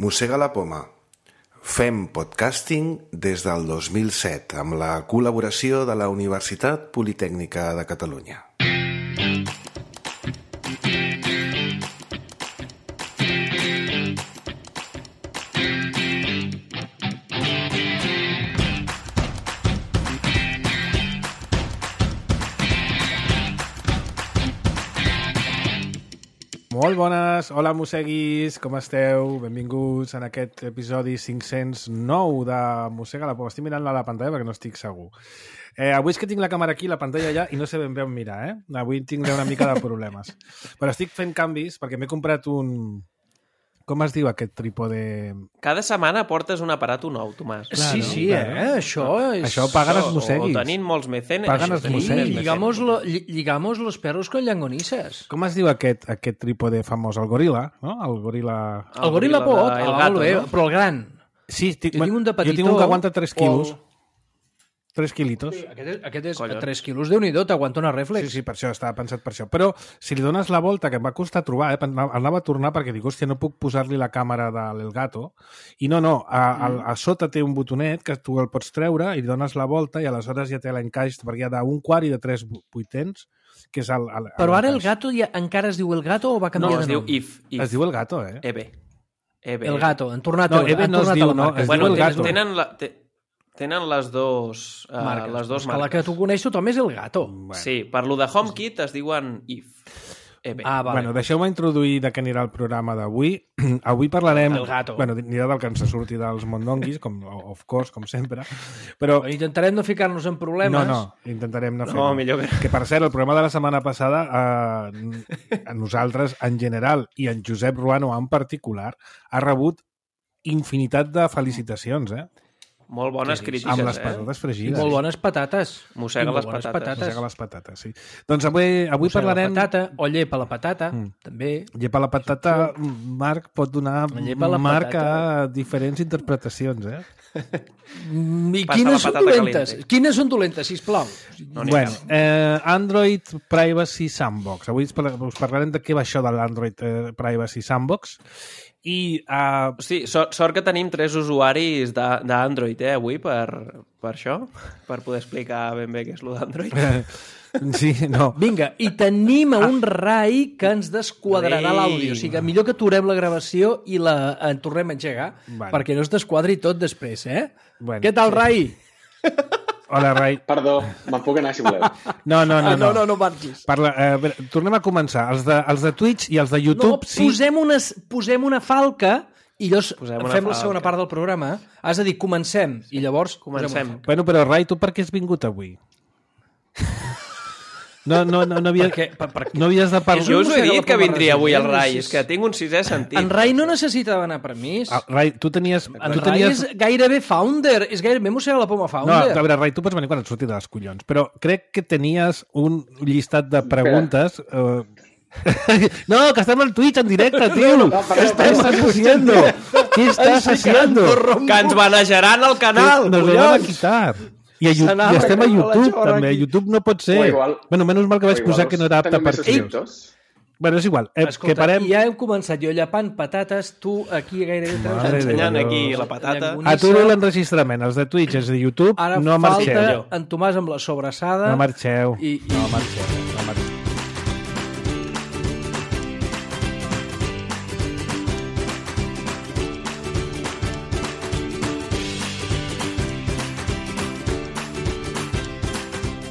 Mossega la poma. Fem podcasting des del 2007 amb la col·laboració de la Universitat Politècnica de Catalunya. Molt bones, hola mosseguis, com esteu? Benvinguts en aquest episodi 509 de Mossega la poma. Estic mirant la pantalla perquè no estic segur. Avui és que tinc la càmera aquí, la pantalla allà, i no sé ben bé on mirar, Avui tindré una mica de problemes. Però estic fent canvis perquè m'he comprat un... Com es diu aquest trípode? Cada setmana portes un aparato nou, Tomàs. Clar, sí, no? sí, Això és... Això paguen els mosseguis. O tenim molts mecenes. Paguen els mosseguis. Ligamos los perros con llangonisses. Com es diu aquest trípode famós? El goril·la, no? El goril·la... El goril·la pot, el gato, bé, no? però el gran. Sí, Jo tinc un de petitó. Jo tinc un que aguanta 3 quilos. 3 quilitos. Sí, aquest és Collons. 3 quilos, Déu-n'hi-do, t'aguanta una reflex. Sí, per això, estava pensat per això. Però si li dones la volta, que em va costar trobar, anava a tornar perquè dic, hòstia, no puc posar-li la càmera de l'Elgato. I no, a sota té un botonet que tu el pots treure i li dones la volta i aleshores ja té l'encaix, perquè hi ha d'un quart i de 3 vuitens, que és el Però ara el l'encaix. gato ja encara es diu el gato o va No, canviar es de diu nom? If. Es diu el gato, Ebe. El gato, han tornat No, a Ebe no es tornat diu, a la no, marca. es Bueno, diu el gato. tenen les dos marques. les dos És que la que marques. tu coneix tothom és el gato. Bueno. Sí, per lo de HomeKit es diuen If. Ebe. Ah, vale. Bueno, deixeu-me introduir de què anirà el programa d'avui. Avui parlarem... El gato. Bueno, anirà del que ens surti dels mondonguis, of course, com sempre. Però... Intentarem no ficar-nos en problemes. No, intentarem no fer-ho. No, millor que... Que, per cert, el programa de la setmana passada, a nosaltres en general i en Josep Ruano en particular, ha rebut infinitat de felicitacions, Molt bones crítiques, amb les patates I fregides. molt bones patates. Mossega I molt les bones patates. Mossega les patates, sí. Doncs avui Mossega parlarem... la patata, o llepa la patata, també. Llepa la patata, Marc pot donar Llepa la marc patata. a diferents interpretacions, I Passa quines la són patata dolentes? caliente. Quines són dolentes, sisplau? No n'hi Bueno, Android Privacy Sandbox. Avui us parlarem de què va això de l'Android Privacy Sandbox. I Sí, sort que tenim 3 usuaris d'Android, avui, per això, per poder explicar ben bé què és lo d'Android. sí, no. Vinga, i tenim un rai que ens desquadrarà Ei. l'àudio. O sigui que millor que aturem la gravació i en tornem a engegar, Bueno. perquè no es desquadri tot després, Bueno, Què tal, Rai? Hola, Rai. Perdó, me'n puc anar si voleu. No. no marxis. Parla, tornem a començar. Els de Twitch i els de YouTube, No, sí. posem una falca i llavors Posem una fem la falca. segona part del programa. Has de dir, comencem, i llavors... posem Comencem. una falca. Bueno, però Rai, tu per què has vingut avui? No havies de parlar... Jo us ho he mossega la dit que poma vindria avui al resident, Rai, és- és que tinc un sisè sentit. En Rai no necessitava demanar permís. Rai, tu tenies... En Rai és gairebé founder, és gairebé mossega la poma No, founder. a veure, Rai, tu pots venir quan et surti de les collons, però crec que tenies un llistat de preguntes... No, que estem al Twitch en directe, tio! Què estàs haciendo? Què estàs haciendo? Que ens banejaran al canal, Nos lo van a collons! quitar. I S'anava estem a a la YouTube, xorra també. A aquí. YouTube no pot ser. O igual- Bueno, menys mal que vaig posar que no era apte tenim per més tios. subscriptors. Bueno, és igual. Que Escolta, parem... ja hem començat jo llepant patates, tu aquí gairebé treus... Mare de Ensenyant Déu. aquí la patata. Aturo l'enregistrament. Els de Twitch, els de YouTube, Ara no marxeu. falta en Tomàs amb la sobrassada. No marxeu. I- No marxeu. No marxeu.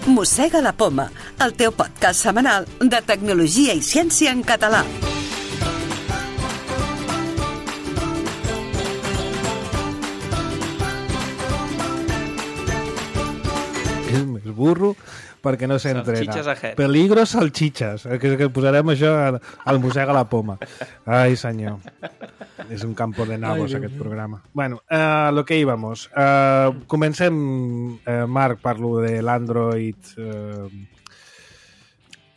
Mossega la poma, el teu podcast setmanal de tecnologia i ciència en català. És més burro perquè no s'entrena. Salchichas ahead. Peligro salchichas. Que posarem això al Mossega la poma. Ai, senyor. És un campo de nabos, Ai, aquest programa. Bueno, lo que íbamos. Comencem, Marc, parlo de l'Android...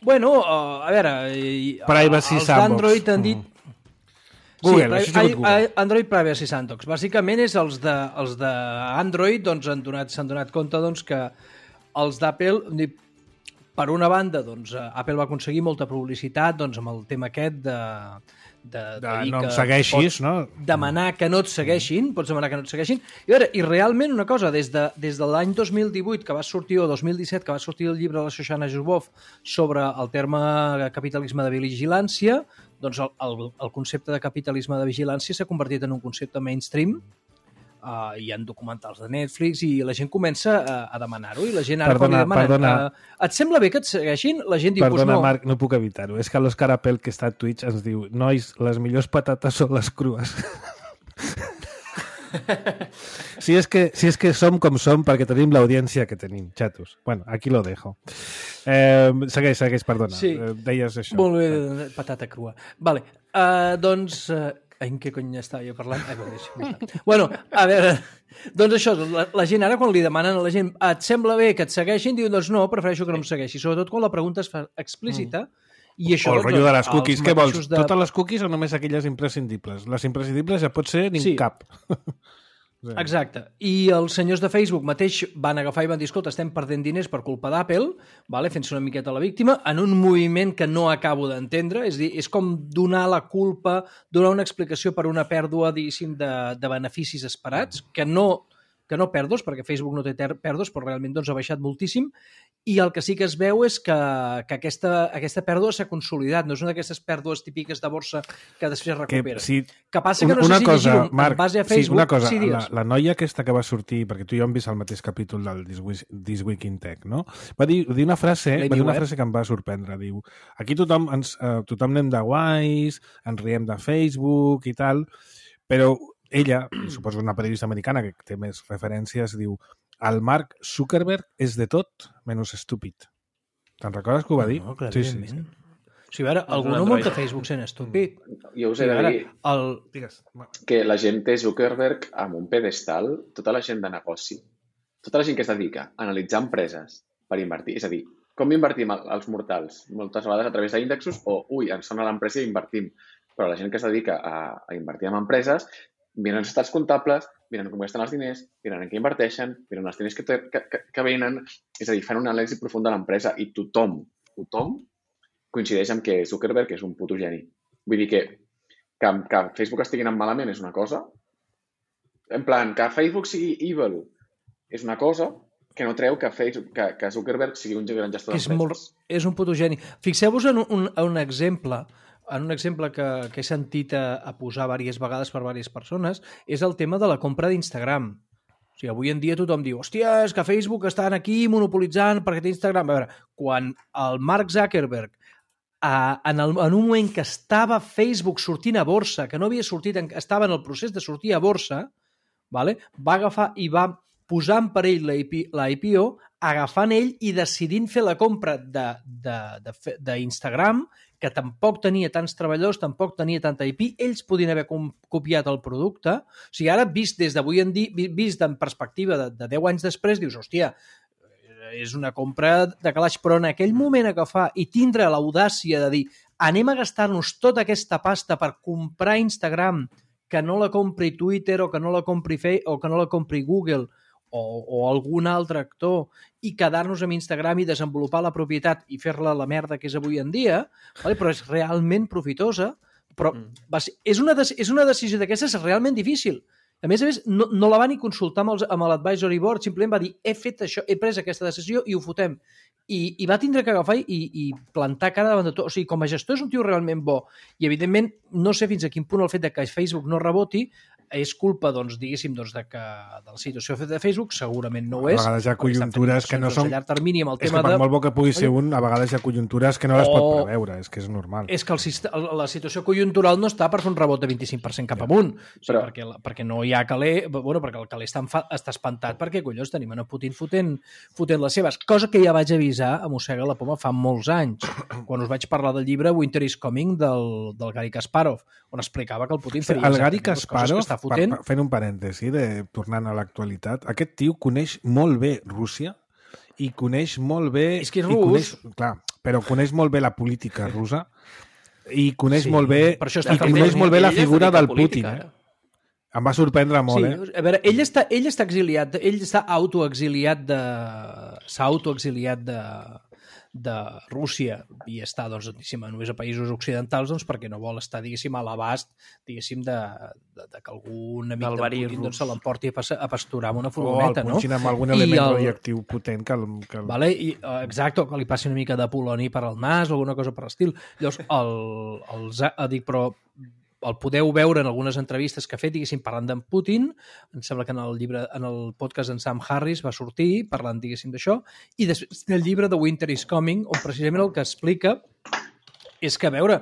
Bueno, a veure... Privacy els Sandbox. d'Android han dit... Google, això ha sigut Google. Android Privacy Sandbox. Bàsicament és els d'Android doncs, s'han donat compte doncs, que els d'Apple, per una banda, doncs, Apple va aconseguir molta publicitat doncs, amb el tema aquest de De dir no em que segueixis, pots no? demanar que no et segueixin, pots demanar que no et segueixin. I, a veure, i realment una cosa, des de l'any 2018 que va sortir, o 2017, que va sortir el llibre de la Shoshana Zuboff sobre el terme capitalisme de vigilància, doncs el concepte de capitalisme de vigilància s'ha convertit en un concepte mainstream. Hi ha documentals de Netflix i la gent comença a demanar-ho i la gent ara quan li demanen et sembla bé que et segueixin? La gent diu, Perdona, no. Marc, no puc evitar-ho. És que l'Òscar Apel, que està a Twitch, ens diu nois, les millors patates són les crues. Si és que som com som perquè tenim l'audiència que tenim, xatos. Bueno, aquí lo dejo. Segueix, perdona. Sí. Deies això. Molt bé, patata crua. Vale, doncs... en què cony estava jo parlant? Bueno, a veure, doncs això, la gent ara quan li demanen a la gent et sembla bé que et segueixin, diuen doncs no, prefereixo que no em segueixi, sobretot quan la pregunta es fa explícita. I això, o el rotllo de les cookies, què vols? de... Totes les cookies o només aquelles imprescindibles? Les imprescindibles ja pot ser ni cap. Exacte. I els senyors de Facebook mateix van agafar i van dir, escolta, estem perdent diners per culpa d'Apple, vale? Fent-se una miqueta la víctima, en un moviment que no acabo d'entendre, és dir, és com donar la culpa, donar una explicació per una pèrdua, diguéssim, de beneficis esperats, que no pèrdues, perquè Facebook no té pèrdues, però realment doncs, ha baixat moltíssim, i el que sí que es veu és que aquesta pèrdua s'ha consolidat, no és una d'aquestes pèrdues típiques de borsa que després recupera. Que passa que no sé si llegir en base a Facebook... Una cosa, la noia aquesta que va sortir, perquè tu i jo hem vist el mateix capítol del This Week in Tech, no? Va dir una frase que em va sorprendre, diu, aquí tothom anem de guais, ens riem de Facebook i tal, però ella, suposo una periodista americana que té més referències, diu el Mark Zuckerberg és de tot menys estúpid. Te'n recordes que ho va dir? No, clar, sí. O sigui, ara, algú no munta Facebook sent estúpid. Jo us he de dir que la gent té Zuckerberg amb un pedestal, tota la gent de negoci, tota la gent que es dedica a analitzar empreses per invertir, és a dir, com invertim els mortals? Moltes vegades a través d'índexos o, ens sona l'empresa i invertim. Però la gent que es dedica a invertir en empreses miren els estats comptables, miren com gasten els diners, miren en què inverteixen, miren els diners que venen, és a dir, fan una anàlisi profunda de l'empresa i tothom coincideix en que Zuckerberg és un puto geni. Vull dir que Facebook estigui anant malament és una cosa, en plan, que Facebook sigui evil és una cosa, que no treu que Zuckerberg sigui un gran gestor d'empreses. És un puto geni. Fixeu-vos en un exemple que he sentit a posar diverses vegades per diverses persones, és el tema de la compra d'Instagram. O sigui, avui en dia tothom diu, hòstia, és que Facebook estan aquí monopolitzant perquè té Instagram. A veure, quan el Mark Zuckerberg, en un moment que estava Facebook sortint a borsa, que no havia sortit, estava en el procés de sortir a borsa, va agafar i va posar en perill la IPO, agafant ell i decidint fer la compra d'Instagram, que tampoc tenia tants treballadors, tampoc tenia tanta IP, ells podien haver copiat el producte. O sigui, ara, vist des d'avui en dia, vist en perspectiva de 10 anys després, dius, hòstia, és una compra de calaix, però en aquell moment agafar i tindre l'audàcia de dir anem a gastar-nos tota aquesta pasta per comprar Instagram, que no la compri Twitter o que no la compri Facebook o que no la compri Google o algun altre actor i quedar-nos amb Instagram i desenvolupar la propietat i fer-la la merda que és avui en dia, però és realment profitosa, però és una decisió d'aquestes realment difícil. A més, no la va ni consultar amb l'advisory board, simplement va dir he fet això, he pres aquesta decisió i ho fotem. I va tindre que agafar i plantar cara davant de tot. O sigui, com a gestor és un tio realment bo. I, evidentment, no sé fins a quin punt el fet que Facebook no reboti és culpa, doncs, diguéssim, de la situació de Facebook, segurament no ho és. A vegades hi ha conjuntures que no són... A llarg termini, amb el és tema que per molt bo que pugui ser un, a vegades hi ha conjuntures que no les pot preveure, és que és normal. És que la situació conjuntural no està per fer un rebot de 25% cap amunt, perquè no hi ha caler, perquè el caler està espantat perquè, collons, tenim a Putin fotent les seves, cosa que ja vaig avisar a Mossega la Poma fa molts anys, quan us vaig parlar del llibre Winter is Coming del Garry Kasparov, on explicava que el Putin faria el Garry Kasparov, fent un parèntesi, tornant a l'actualitat, aquest tio coneix molt bé Rússia i coneix molt bé... És que és rus. Però coneix molt bé la política russa i coneix molt bé la figura del Putin. Em va sorprendre molt, A veure, ell està exiliat, ell està s'ha autoexiliat Rússia i està doncs, només a països occidentals doncs, perquè no vol estar, diguéssim, a l'abast, diguéssim, de que algun amic de Putin doncs, se l'emporti a pasturar amb una furgoneta, no? O el punxin amb algun element radioactiu potent que... Vale? Exacte, que li passi una mica de poloni per al nas o alguna cosa per l'estil. Llavors, dic, però el podeu veure en algunes entrevistes que ha fet, diguéssim, parlant d'en Putin. Em sembla que en el podcast d'en Sam Harris va sortir parlant, diguéssim, d'això. I després del llibre de Winter is Coming, on precisament el que explica és que, a veure,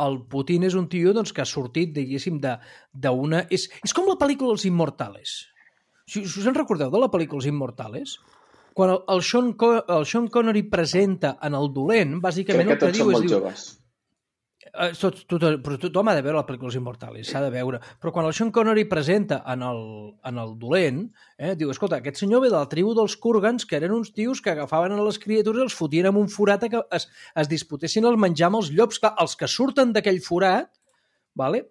el Putin és un tio doncs, que ha sortit, diguéssim, d'una... És com la pel·lícula Els Immortales. Si us en recordeu de la pel·lícula Els Immortales? Quan el Sean Connery presenta en el dolent, bàsicament el que diu és... Crec que tots són molt joves. Però tothom ha de veure la pel·lícula Els Immortales, s'ha de veure. Però quan el Sean Connery presenta en el dolent, diu, escolta, aquest senyor ve de la tribu dels Kurgans, que eren uns tios que agafaven a les criatures i els fotien amb un forat que es disputessin el menjar amb els llops. Clar, els que surten d'aquell forat, vale,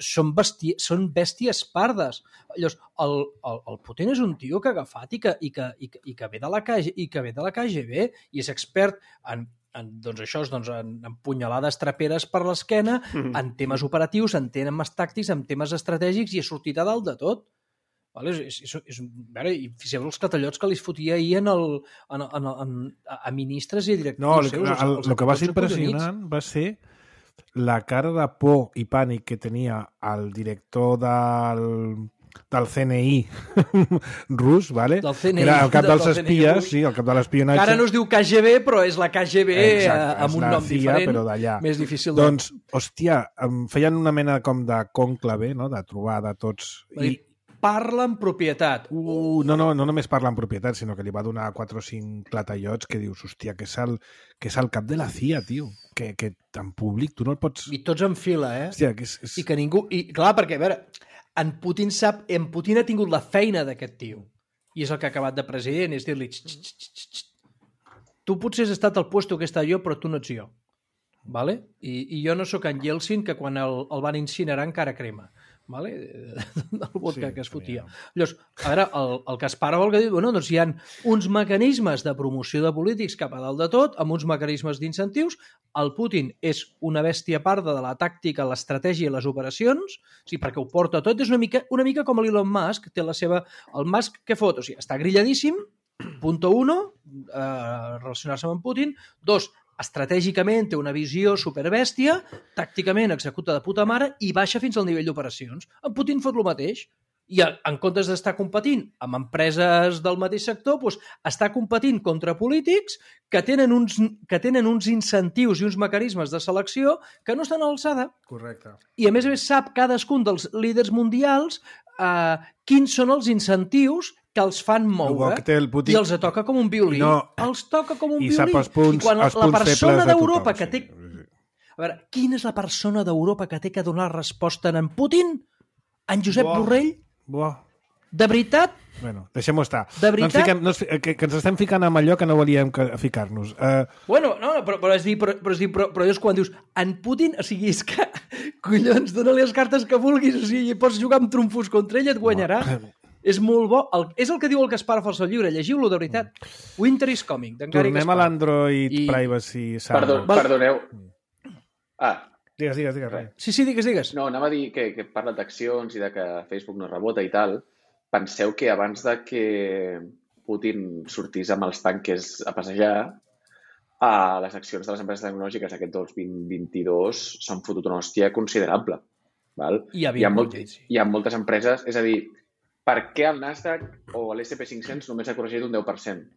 són bèsties pardes. Llavors, el Putin és un tio que ha agafat i que ve de la KGB i és expert en doncs això és en punyalades traperes per l'esquena, en temes operatius, en temes tàctics, en temes estratègics, i ha sortit a dalt de tot. Vale? I fixeu els catallots que li fotia ahir a ministres i a directius seus. El que va ser impressionant va ser la cara de por i pànic que tenia el director del CNI rus, ¿vale? Del CNI, era el cap dels espies, sí, el cap de l'espionatge. Ara no es diu KGB, però és la KGB. Exacte, amb un nom CIA, diferent, però d'allà. Més difícil. Doncs, hòstia, feien una mena com de cònclave, no?, de trobar de tots. Parla en propietat. No només parla en propietat, sinó que li va donar 4 o 5 clatallots que dius, hòstia, que és el cap de la CIA, tio. Que en públic tu no el pots... I tots en fila, Hòstia, que és... I que ningú... I clar, perquè, a veure... En Putin ha tingut la feina d'aquest tio. I és el que ha acabat de president, és dir-li... Tu potser has estat al puesto que he estat jo, però tu no ets jo. Vale? I jo no sóc en Yeltsin, que quan el van incinerar encara crema. Vale? Del vodka que es fotia. Llavors, a veure, el Kasparov el que diu, doncs hi ha uns mecanismes de promoció de polítics cap a dalt de tot, amb uns mecanismes d'incentius. El Putin és una bèstia parda de la tàctica, l'estratègia i les operacions, perquè ho porta tot. És una mica com l'Elon Musk, té la seva... El Musk què fot? O sigui, està grilladíssim, punto 1, relacionar-se amb en Putin. 2, estratègicament té una visió superbèstia, tàcticament executa de puta mare i baixa fins al nivell d'operacions. En Putin fot el mateix. I en comptes d'estar competint amb empreses del mateix sector, doncs està competint contra polítics que tenen uns incentius i uns mecanismes de selecció que no estan a l'alçada. Correcte. I a més sap cadascun dels líders mundials quins són els incentius que els fan moure i els toca com un violí. Els toca com un violí. I sap els punts febles de tothom. A veure, quina és la persona d'Europa que té que donar resposta en Putin? En Josep Borrell? De veritat? Bueno, deixem-ho estar. De veritat? Que ens estem ficant amb allò que no volíem ficar-nos. Bueno, no, però és quan dius en Putin, o sigui, és que collons, dona-li les cartes que vulguis, o sigui, pots jugar amb trumfos contra ell, et guanyarà. És molt bo. És el que diu el Kasparov al seu llibre. Llegiu-lo, de veritat. Winter is Coming, d'en Gary Kasparov. Tornem a l'Android Privacy. Perdoneu. Digues. Sí, digues. No, anava a dir que parla d'accions i de que Facebook no rebota i tal. Penseu que abans de que Putin sortís amb els tanques a passejar, les accions de les empreses tecnològiques aquest 2022 s'han fotut una hòstia considerable. Val? Hi ha moltes empreses, és a dir, per què el Nasdaq o l'SP500 només ha corregit un 10%?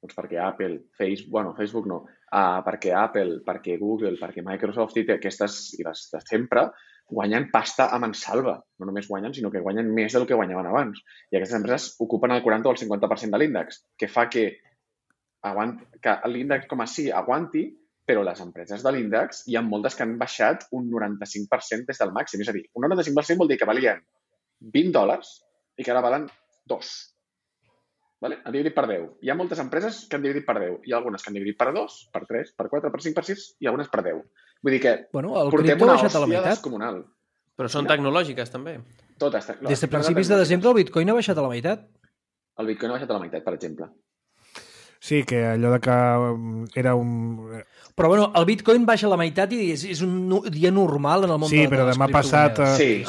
Doncs perquè Apple, Facebook no, perquè Apple, perquè Google, perquè Microsoft i aquestes, i les de sempre, guanyen pasta a mansalva. No només guanyen, sinó que guanyen més del que guanyaven abans. I aquestes empreses ocupen el 40 o el 50% de l'índex, que fa que l'índex com a sí aguanti, però les empreses de l'índex hi ha moltes que han baixat un 95% des del màxim. És a dir, un 95% vol dir que valien $20 i que ara valen 2. Vale? Han dividit per 10. Hi ha moltes empreses que han dividit per 10. Hi ha algunes que han dividit per 2, per 3, per 4, per 5, per 6 i algunes per 10. Vull dir que portem una hòstia descomunal. Però són tecnològiques, també. Totes tecnològiques. Des de principis de desembre el Bitcoin ha baixat a la meitat. El Bitcoin ha baixat a la meitat, per exemple. Sí, que allò de que era un... Però bueno, el Bitcoin baixa a la meitat i és un dia normal en el món de les criptomonedes. Sí, però demà passat...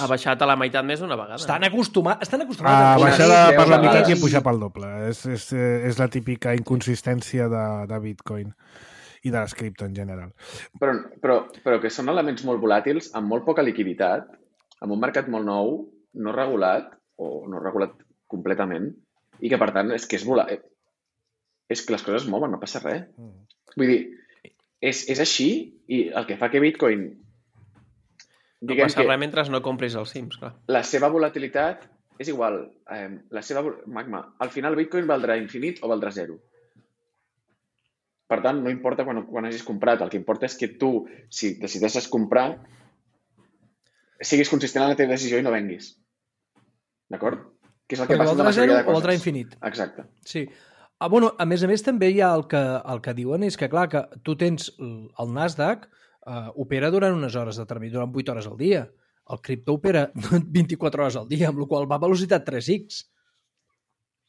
Ha baixat a la meitat més d'una vegada. Estan acostumats a baixar per la meitat i pujar pel doble. És la típica inconsistència de Bitcoin i de les cripto en general. Però que són elements molt volàtils, amb molt poca liquiditat, amb un mercat molt nou, no regulat, o no regulat completament, i que, per tant, és que és que les coses es mouen, no passa res. Vull dir, és així, i el que fa que Bitcoin... No passa res mentre no compris els Sims, clar. La seva volatilitat és igual. Magma, al final Bitcoin valdrà infinit o valdrà zero. Per tant, no importa quan hagis comprat. El que importa és que tu, si decideixes comprar, siguis consistent en la teva decisió i no venguis. D'acord? Que és el que passa amb la majoria de coses. O valdrà infinit. Exacte. Sí. A més a més, també hi ha el que diuen és que, clar, que tu tens el Nasdaq, opera durant unes hores determinades, durant 8 hores al dia. El cripto opera 24 hores al dia, amb la qual va a velocitat 3x.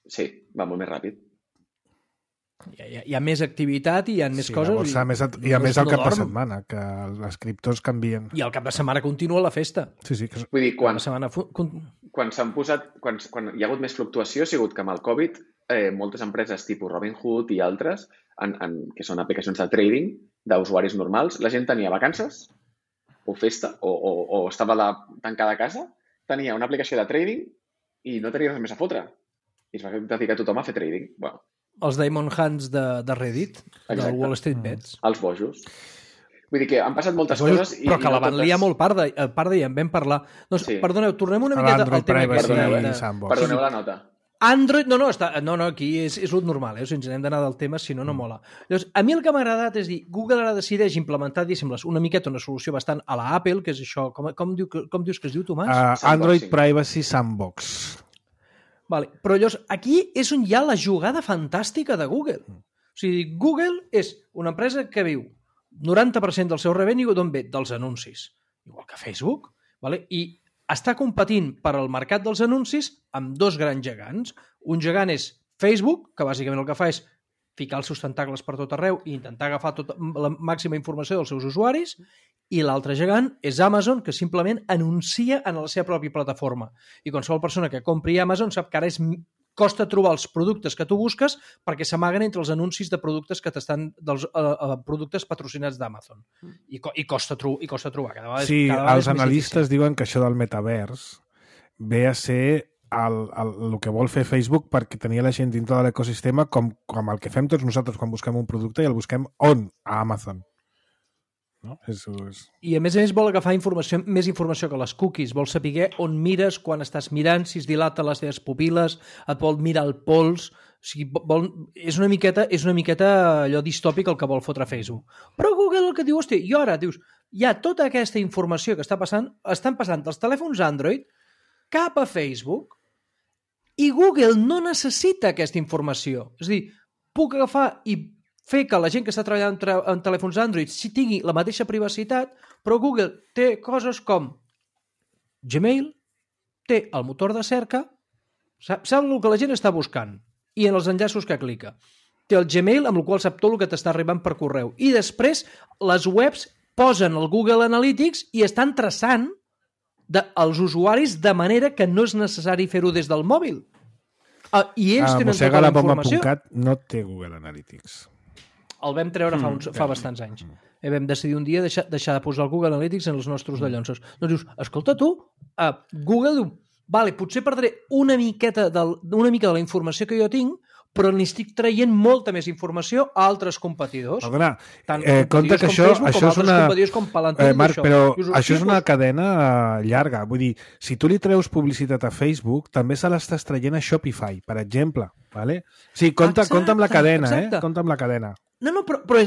Sí, va molt més ràpid. Hi ha més activitat i hi ha més coses. I a més el cap de setmana, que les criptos canvien. I el cap de setmana continua la festa. Sí. Vull dir, quan s'han posat... Quan hi ha hagut més fluctuació ha sigut que amb el Covid moltes empreses tipus Robinhood i altres, que són aplicacions de trading d'usuaris normals, la gent tenia vacances o festa o estava tancada a casa, tenia una aplicació de trading i no tenia res més a fotre. I es va dedicar tothom a fer trading. Bueno. Els Diamond Hands de Reddit, del Wall Street Bets. Els bojos. Vull dir que han passat moltes coses... Però que la van liar molt parda i en vam parlar. Doncs, perdoneu, tornem una miqueta al tema aquest. Perdoneu la nota. Android, aquí és el normal, si ens n'hem d'anar del tema, si no, no mola. Llavors, a mi el que m'ha agradat és dir, Google ara decideix implementar, una miqueta una solució bastant a la Apple, que és això, com dius que es diu, Tomàs? Android Privacy Sandbox. Vale, però llavors, aquí és on hi ha la jugada fantàstica de Google. O sigui, Google és una empresa que viu 90% del seu revenue d'on ve? Dels anuncis. Igual que Facebook. Vale? I està competint per al mercat dels anuncis amb dos grans gegants. Un gegant és Facebook, que bàsicament el que fa és ficar els seus tentacles per tot arreu i intentar agafar la màxima informació dels seus usuaris, i l'altre gegant és Amazon, que simplement anuncia en la seva pròpia plataforma. I qualsevol persona que compri Amazon sap que ara costa trobar els productes que tu busques perquè s'amaguen entre els anuncis de productes que t'estan dels productes patrocinats d'Amazon. I costa trobar. Sí, els analistes diuen que això del metavers ve a ser el que vol fer Facebook perquè tenia la gent dintre de l'ecosistema com el que fem tots nosaltres quan busquem un producte i el busquem on? A Amazon. No? I a més vol agafar més informació que les cookies, vol saber on mires, quan estàs mirant, si es dilata les teves pupil·les, et vol mirar el pols, o sigui, és una miqueta allò distòpic el que vol fotre Facebook. Però Google el que diu, hosti, i ara dius, hi ha tota aquesta informació que estan passant dels telèfons Android cap a Facebook i Google no necessita aquesta informació. És a dir, puc agafar i fer que la gent que està treballant en telèfons Android si tingui la mateixa privacitat, però Google té coses com Gmail, té el motor de cerca, sap el que la gent està buscant i en els enllaços que clica. Té el Gmail, amb el qual sap tot el que t'està arribant per correu. I després les webs posen el Google Analytics i estan traçant els usuaris de manera que no és necessari fer-ho des del mòbil. I ells tenen tota la informació. No té Google Analytics. El vam treure fa bastants anys. Vam decidir un dia deixar de posar el Google Analytics en els nostres dallonsos. Doncs dius, escolta tu, Google diu, vale, potser perdré una mica de la informació que jo tinc, però n'estic traient molta més informació a altres competidors. Perdona, compte que això és una... Marc, però això és una cadena llarga. Vull dir, si tu li treus publicitat a Facebook, també se l'estàs traient a Shopify, per exemple. Vale? Sí, compta amb la cadena, compta amb la cadena. No, però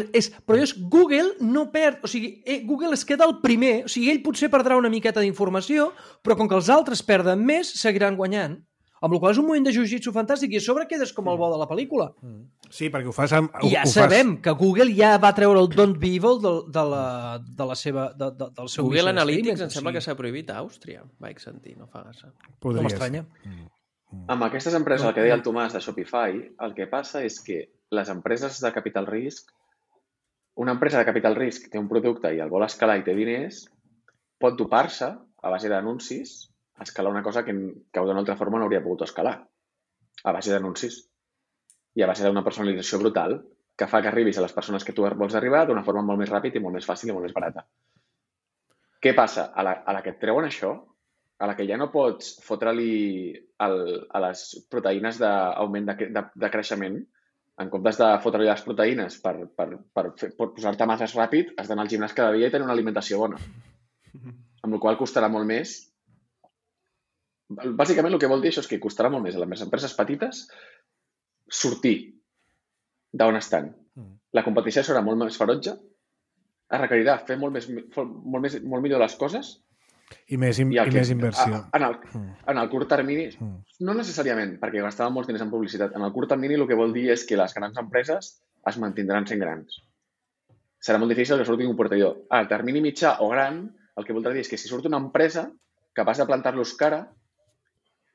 Google no perd, o sigui, Google es queda el primer, o sigui, ell potser perdrà una miqueta d'informació, però com que els altres perden més, seguiran guanyant. Amb la qual és un moment de jiu-jitsu fantàstic i a sobre quedes com el bo de la pel·lícula. Sí, perquè ho fas amb... I ja sabem que Google ja va treure el Don't Be Evil del seu... Google Analytics em sembla que s'ha prohibit a Àustria, vaig sentir, no fa gaire. No m'estranya. Amb aquestes empreses, el que deia el Tomàs de Shopify, el que passa és que les empreses de capital risc, una empresa de capital risc té un producte i el vol escalar i té diners, pot dopar-se a base d'anuncis a escalar una cosa que d'una altra forma no hauria pogut escalar. A base d'anuncis. I a base d'una personalització brutal que fa que arribis a les persones que tu vols arribar d'una forma molt més ràpida i molt més fàcil i molt més barata. Què passa? A la que et treuen això, a la que ja no pots fotre-li a les proteïnes d'augment de creixement, en comptes de fotre-li les proteïnes per posar-te masses ràpid, has d'anar al gimnàs cada dia i tenir una alimentació bona. Amb la qual costarà molt més. Bàsicament el que vol dir això és que costarà molt més a les empreses petites sortir d'on estan. La competició serà molt més ferotge, es requerirà fer molt millor les coses i més inversió. En el curt termini, no necessàriament, perquè gastaven molts diners en publicitat. En el curt termini el que vol dir és que les grans empreses es mantindran sent grans. Serà molt difícil que surti un competidor. Al termini mitjà o gran, el que voldrà dir és que si surt una empresa capaç de plantar-los cara,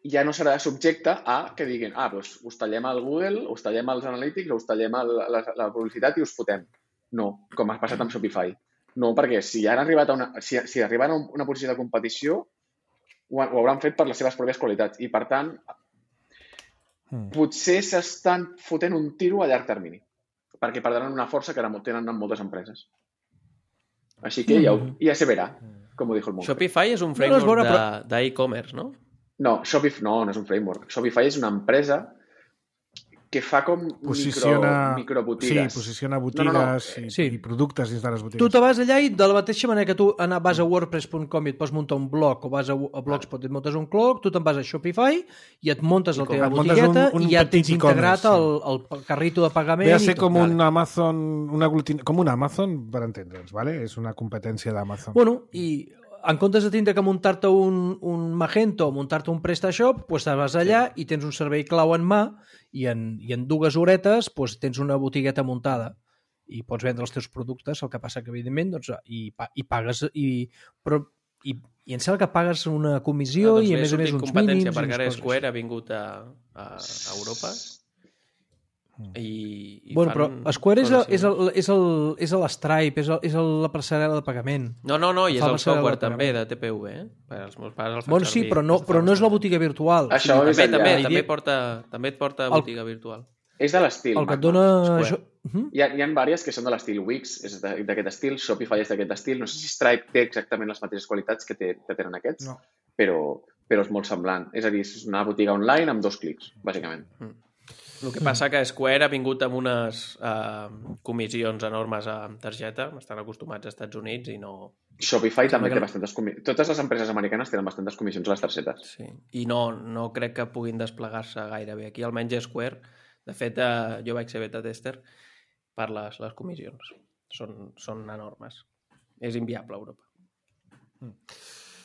ja no serà subjecte a que diguin doncs us tallem al Google, us tallem als Analytics, us tallem la publicitat i us fotem. No, com ha passat amb Shopify. No, perquè si arriben a una posició de competició, ho hauran fet per les seves pròpies qualitats. I, per tant, potser s'estan fotent un tiro a llarg termini, perquè perdran una força que tenen moltes empreses. Així que ja se verà, com ho dijo el Monge. Shopify és un framework d'e-commerce, no? No, Shopify no és un framework. Shopify és una empresa que fa com microbotigues. Sí, posiciona botigues i productes dins de les botigues. Tu te vas allà i de la mateixa manera que tu vas a wordpress.com i et pots muntar un blog o vas a Blogspot i et muntes un blog, tu te'n vas a Shopify i et muntes la teva botigueta i ja tens integrat el carrito de pagament. Ve a ser com un Amazon, com un Amazon, per entendre'ns, ¿vale? És una competència d'Amazon. Bueno, i en comptes de tindre que muntar-te un Magento o muntar-te un PrestaShop, doncs te vas allà i tens un servei clau en mà i en 2 horetes tens una botigueta muntada i pots vendre els teus productes. El que passa que, evidentment, i pagues i em sembla que pagues una comissió i, a més uns mínims. Competència, perquè ara Square ha vingut a Europa bueno, però Square és l'Stripe, és la passarel·la de pagament. No, i és el software també de TPV, els meus pares el fan servir. Sí, però no és la botiga virtual. Això també et porta botiga virtual. És de l'estil. El que et dona... Hi ha diverses que són de l'estil. Wix és d'aquest estil, Shopify és d'aquest estil. No sé si Stripe té exactament les mateixes qualitats que tenen aquests, però és molt semblant. És a dir, és una botiga online amb 2 clics, bàsicament. El que passa que Square ha vingut amb unes comissions enormes a targeta, estan acostumats als Estats Units i no... Shopify també té bastantes comissions. Totes les empreses americanes tenen bastantes comissions a les targetes. Sí, i no crec que puguin desplegar-se gaire bé. Aquí almenys Square, de fet, jo vaig ser beta tester per les comissions. Són enormes. És inviable a Europa.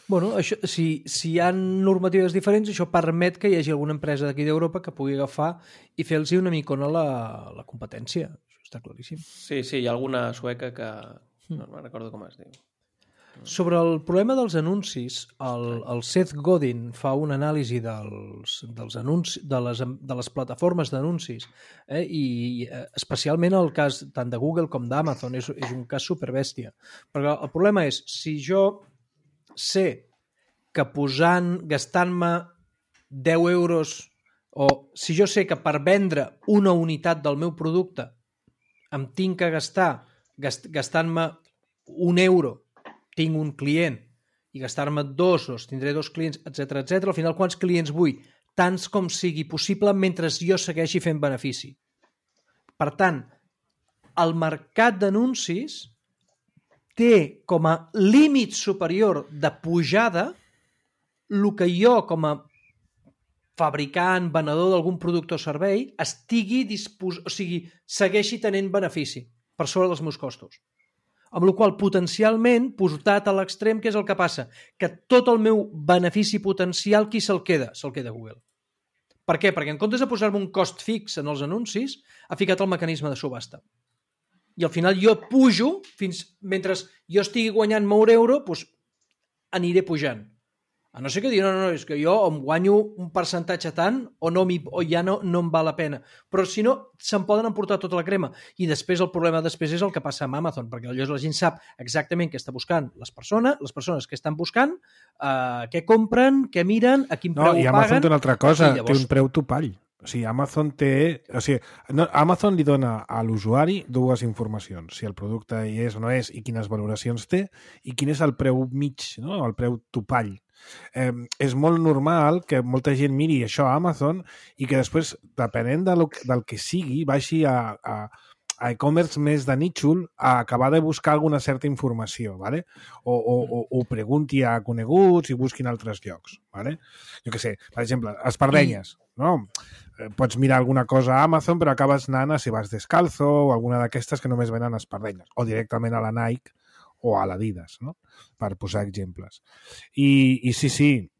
Bueno, això, si hi ha normatives diferents, això permet que hi hagi alguna empresa d'aquí d'Europa que pugui agafar i fer-los una micona la competència. Això està claríssim. Sí, hi ha alguna sueca que... No me'n recordo com es diu. Sobre el problema dels anuncis, el Seth Godin fa una anàlisi dels anuncis, de les plataformes d'anuncis, i especialment el cas tant de Google com d'Amazon és un cas superbèstia. Perquè el problema és, si jo sé que gastant-me 10 euros, o si jo sé que per vendre una unitat del meu producte em tinc que gastant-me 1 euro tinc un client i gastar-me 2, tindré 2 clients, etc. Al final, quants clients vull? Tants com sigui possible mentre jo segueixi fent benefici. Per tant, el mercat d'anuncis té com a límit superior de pujada el que jo, com a fabricant, venedor d'algun producte o servei, segueixi tenint benefici per sobre dels meus costos. Amb la qual potencialment, portat a l'extrem, què és el que passa? Que tot el meu benefici potencial, qui se'l queda? Se'l queda Google. Per què? Perquè en comptes de posar-me un cost fix en els anuncis, ha ficat el mecanisme de subhasta. I al final jo pujo, mentre jo estigui guanyant molt euro, doncs aniré pujant. A no ser que digui, no, és que jo em guanyo un percentatge tant o ja no em val la pena. Però si no, se'n poden emportar tota la crema. I després el problema és el que passa amb Amazon, perquè llavors la gent sap exactament què està buscant les persones que estan buscant, què compren, què miren, a quin preu paguen. I Amazon té una altra cosa, té un preu topall. O sigui, Amazon li dona a l'usuari dues informacions, si el producte hi és o no és i quines valoracions té i quin és el preu mig, no? El preu topall. És molt normal que molta gent miri això a Amazon i que després, depenent del que sigui, baixi a e-commerce més de nítxol a acabar de buscar alguna certa informació, ¿vale? O pregunti a coneguts i busquin altres llocs, ¿vale? Jo què sé, per exemple, espardenyes, no? Pots mirar alguna cosa a Amazon però acabes anant a Si Vas Descalzo o alguna d'aquestes que només venen espardenyes, o directament a la Nike o a l'Adidas, no? Per posar exemples. I sí,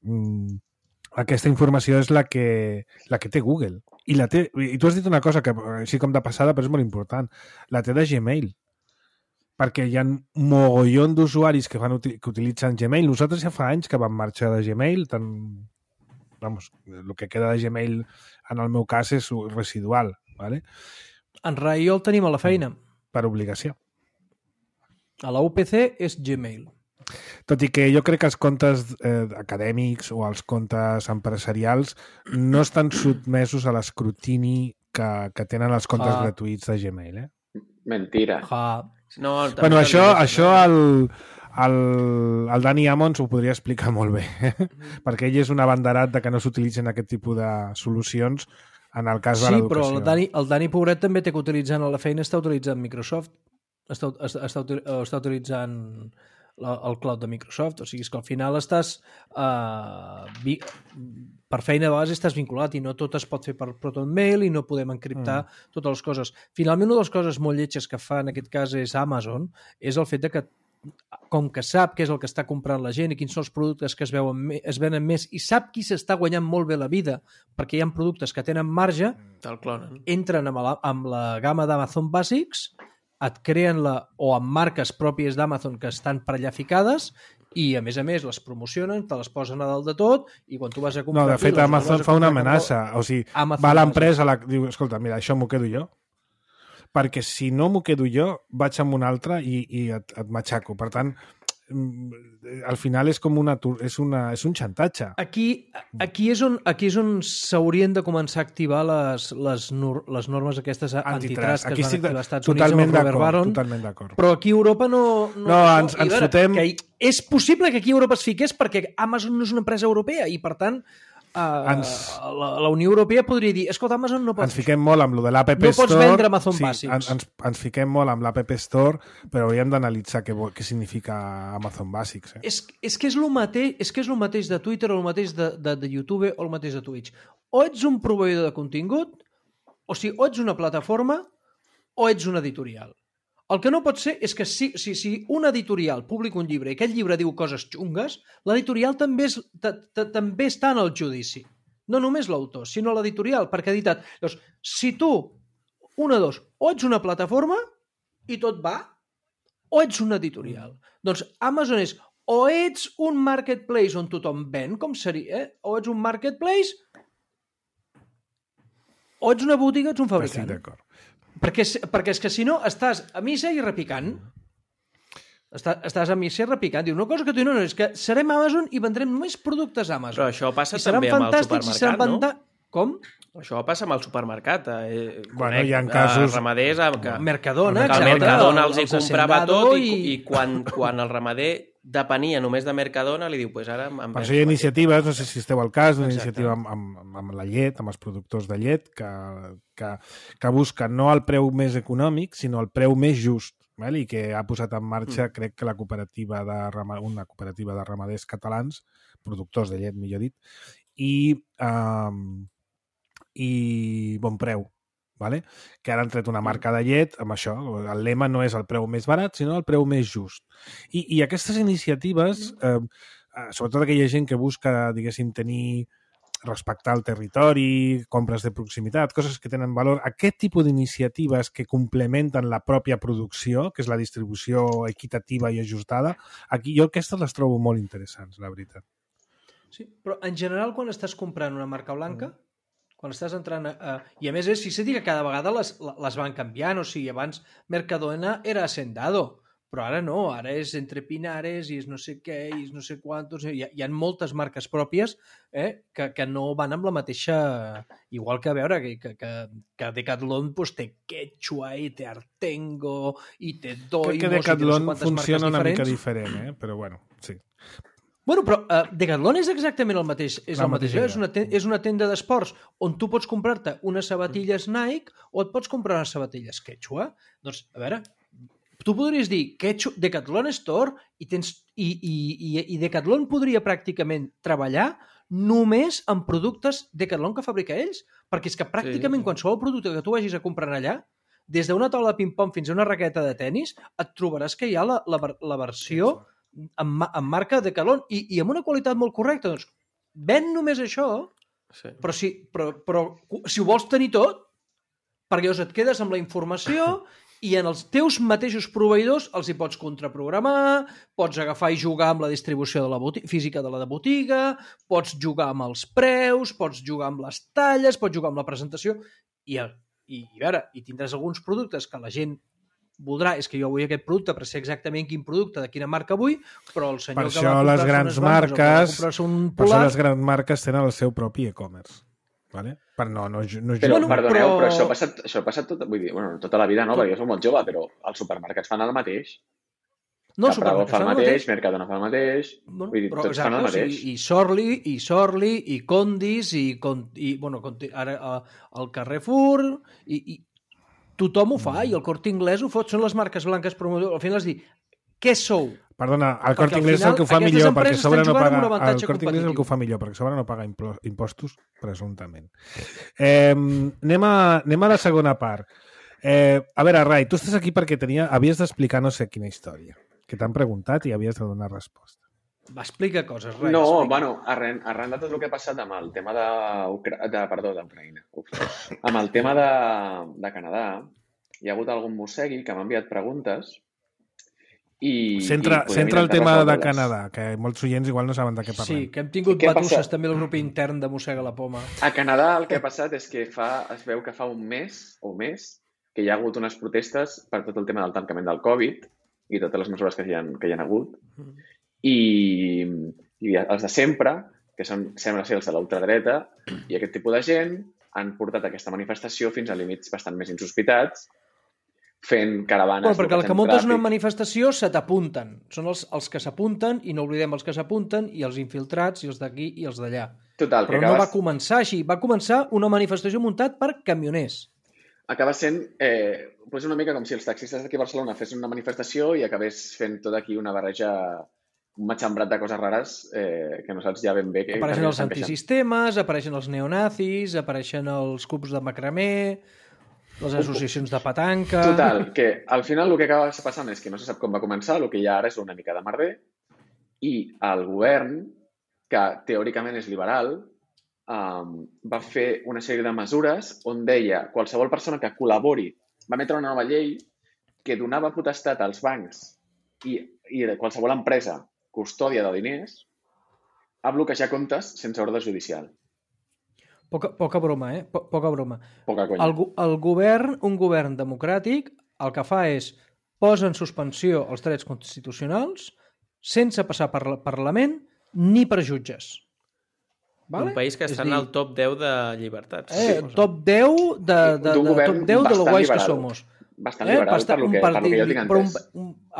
aquesta informació és la que té Google. I tu has dit una cosa que així com de passada, però és molt important. La té de Gmail. Perquè hi ha un mogollon d'usuaris que utilitzen Gmail. Nosaltres ja fa anys que vam marxar de Gmail. El que queda de Gmail en el meu cas és residual. ¿Vale? En Rai el tenim a la feina. Per obligació. A la UPC és Gmail. Tot i que jo crec que els comptes acadèmics o els comptes empresarials no estan sotmesos a l'escrutini que tenen els comptes gratuïts de Gmail, Mentira. No, bueno, això el Dani Ammons ho podria explicar molt bé, perquè ell és un abanderat de que no s'utilitzen aquest tipus de solucions en el cas de l'educació. Sí, però el Dani pobret també té que utilitzant a la feina, està utilitzant Microsoft, està utilitzant el cloud de Microsoft, o sigui, és que al final estàs per feina de base estàs vinculat i no tot es pot fer per ProtonMail i no podem encriptar totes les coses. Finalment, una de les coses molt lletges que fa en aquest cas és Amazon, és el fet de que com que sap què és el que està comprant la gent i quins són els productes que es venen més i sap qui s'està guanyant molt bé la vida perquè hi ha productes que tenen marge, entren amb la gamma d'Amazon Basics, et creen o amb marques pròpies d'Amazon que estan per allà ficades i, a més, les promocionen, te les posen a dalt de tot i quan tu vas a comprar... No, de fet, Amazon fa una amenaça. O sigui, va a l'empresa, diu, escolta, mira, això m'ho quedo jo, perquè si no m'ho quedo jo, vaig amb un altre i et matxaco. Per tant, al final és com és un xantatge. Aquí és on s'haurien de començar a activar les normes aquestes antitrust que es van activar als Estats Units amb el Robert Baron. Totalment d'acord. Però aquí a Europa no ens fotem... És possible que aquí a Europa es fiqués perquè Amazon no és una empresa europea i, per tant, la Unió Europea podria dir, escolta, Amazon no pot... Ens fiquem molt amb lo de l'App Store. No pots vendre Amazon Basics. Ens fiquem molt amb l'App Store, però hauríem d'analitzar què significa Amazon Basics. És que és el mateix de Twitter o el mateix de YouTube o el mateix de Twitch. O ets un proveïdor de contingut, o sigui, o ets una plataforma o ets un editorial. El que no pot ser és que si un editorial publica un llibre i aquest llibre diu coses xungues, l'editorial també està en el judici. No només l'autor, sinó l'editorial, perquè ha editat. Llavors, si tu, o ets una plataforma i tot va, o ets un editorial. Doncs Amazon és o ets un marketplace on tothom ven, com seria, o ets un marketplace, o ets una botiga, ets un fabricant. Estic d'acord. Perquè és que si no estàs a missa i repicant. Estàs a missa i repicant. Diu, una cosa que tu no és que serem Amazon i vendrem només productes Amazon. Però això passa també amb el supermercat, no? Com? Això passa amb el supermercat. Bueno, hi ha casos... Ramaders que Mercadona, el Mercadona els hi comprava tot i quan el ramader depenia només de Mercadona, li diu, pues ara... Per això hi ha iniciatives, no sé si esteu al cas, una iniciativa amb la llet, amb els productors de llet, que busca no el preu més econòmic, sinó el preu més just, i que ha posat en marxa, crec que una cooperativa de ramaders catalans, productors de llet, millor dit, i Bon Preu, que ara han tret una marca de llet amb això. El lema no és el preu més barat, sinó el preu més just. I aquestes iniciatives, sobretot aquella gent que busca, diguéssim, respectar el territori, compres de proximitat, coses que tenen valor, aquest tipus d'iniciatives que complementen la pròpia producció, que és la distribució equitativa i ajustada, aquí jo aquestes les trobo molt interessants, la veritat. Sí, però en general quan estàs comprant una marca blanca, quan estàs entrant i a més és, si que cada vegada les van canviant, o sigui, abans Mercadona era Hacendado, però ara no, ara és Entre Pinares i és no sé què, i és no sé quantos, hi ha moltes marques pròpies que no van amb la mateixa... Igual que a veure, que Decathlon pues, té Quechua i té Artengo i té Doimos... Crec que Decathlon funciona una mica diferent, però bueno, sí. Bueno, però Decathlon és exactament el mateix. És una tenda d'esports on tu pots comprar-te unes sabatilles Nike o et pots comprar unes sabatilles Quechua. Doncs, a veure, tu podries dir Decathlon Store i Decathlon podria pràcticament treballar només amb productes Decathlon que fabrica ells, perquè és que pràcticament qualsevol producte que tu vagis a comprar allà, des d'una taula de ping-pong fins a una raqueta de tennis, et trobaràs que hi ha la versió amb marca Decathlon i amb una qualitat molt correcta. Doncs ven només això, però si ho vols tenir tot, perquè llavors et quedes amb la informació i en els teus mateixos proveïdors els hi pots contraprogramar, pots agafar i jugar amb la distribució de la física de la botiga, pots jugar amb els preus, pots jugar amb les talles, pots jugar amb la presentació i tindràs alguns productes que la gent voldrà, és que jo vull aquest producte per ser exactament quin producte, de quina marca vull, però el senyor que va comprar-se unes bambes o que va comprar-se un polar... Per això les grans marques tenen el seu propi e-commerce. Vale? Però perdoneu, però això ha passat vull dir, tota la vida no, perquè jo soc molt jove, però els supermercats fan el mateix. No, Capravo fa el mateix, Mercadona fa el mateix, vull dir, tots fan el mateix. I Sorli, i Condis, ara el Carrefour, i tothom ho fa, i el Corte Inglés ho fot, són les marques blanques promotores. Al final has dit, què sou? Perdona, el Corte Inglés és el que ho fa millor perquè a sobre no paga... El Corte Inglés és el que ho fa millor perquè a sobre no paga impostos, presumptament. Anem a la segona part. A veure, Rai, tu estàs aquí perquè havies d'explicar no sé quina història, que t'han preguntat i havies de donar resposta. Va, explica coses, Rai. No, bueno, arran de tot el que ha passat amb el tema d'Ucraïna. Amb el tema de Canadà, hi ha hagut algun mossegui que m'ha enviat preguntes Centra el tema de Canadà, que molts oients igual no saben de què parlem. Sí, que hem tingut batusses també al grup intern de Mossega la Poma. A Canadà el que ha passat és que es veu que fa un mes o més que hi ha hagut unes protestes per tot el tema del tancament del Covid i totes les mesures que hi ha hagut. I els de sempre, que sembla ser els de l'ultradreta, i aquest tipus de gent han portat aquesta manifestació fins a límits bastant més insospitats, fent caravanes... Perquè el que muntes una manifestació se t'apunten. Són els que s'apunten, i no oblidem els que s'apunten, i els infiltrats, i els d'aquí i els d'allà. Total, però no va començar així. Va començar una manifestació muntat per camioners. Acaba sent una mica com si els taxistes d'aquí a Barcelona fessin una manifestació i acabés fent tot aquí una barreja, un matxembrat de coses rares que no saps ja ben bé... Apareixen els antisistemes, apareixen els neonazis, apareixen els clubs de macramé... les associacions de petanca... Total, que al final el que acaba passant és que no se sap com va començar, el que hi ha ara és una mica de merder, i el govern, que teòricament és liberal, va fer una sèrie de mesures on deia qualsevol persona que col·labori, va emetre una nova llei que donava potestat als bancs i qualsevol empresa custòdia de diners a bloquejar comptes sense ordre judicial. Poca broma, Poca broma. Poca conya. Un govern democràtic el que fa és posa en suspensió els drets constitucionals sense passar per Parlament ni per jutges. Vale? Un país que està en el top 10 de llibertats. Top 10 de lo guais que somos. Bastant liberal per lo que jo tinc entès.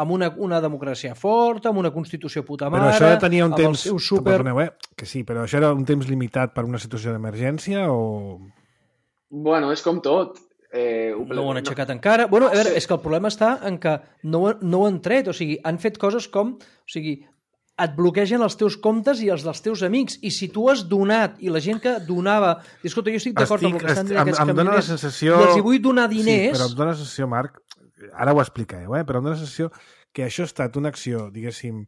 Amb una democràcia forta, amb una constitució puta mare... Però això tenia un temps... Perdoneu, que sí, però això era un temps limitat per una situació d'emergència o... Bueno, és com tot. No ho han aixecat encara. Bueno, a veure, és que el problema està en que no ho han tret. O sigui, han fet coses com... O sigui, et bloquegen els teus comptes i els dels teus amics. I si tu has donat, i la gent que donava... Escolta, jo estic d'acord amb el que estan dient aquests camioners i els hi vull donar diners... Sí, però em dóna la sensació, Marc, ara ho explicareu, però em dóna la sensació que això ha estat una acció, diguéssim,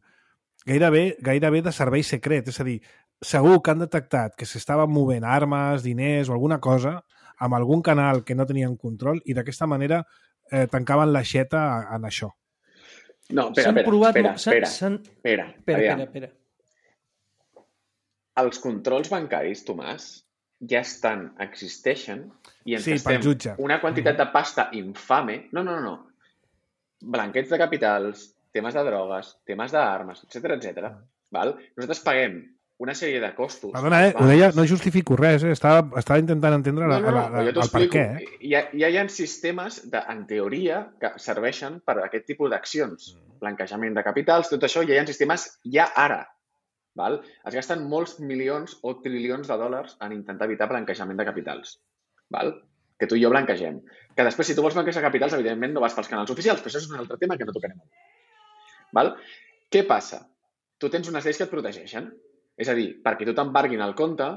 gairebé de servei secret. És a dir, segur que han detectat que s'estaven movent armes, diners o alguna cosa amb algun canal que no tenien control i d'aquesta manera tancaven l'aixeta en això. No, espera. Els controls bancaris, Tomàs, ja existeixen i ens pel jutge. una quantitat de pasta infame. No. Blanqueig de capitals, temes de drogues, temes d'armes, etc. Val? Nosaltres paguem una sèrie de costos. Perdona, ho deia, no justifico res, estava intentant entendre el per què. Ja hi ha sistemes, en teoria, que serveixen per a aquest tipus d'accions. Blanquejament de capitals, tot això, ja hi ha sistemes ja ara. Val? Es gasten molts milions o trilions de dòlars en intentar evitar blanquejament de capitals. Val? Que tu i jo blanquegem. Que després, si tu vols blanquejar capitals, evidentment no vas pels canals oficials, però això és un altre tema que no tocarem avui. Val? Què passa? Tu tens unes lleis que et protegeixen. És a dir, perquè tu t'embarguin el compte,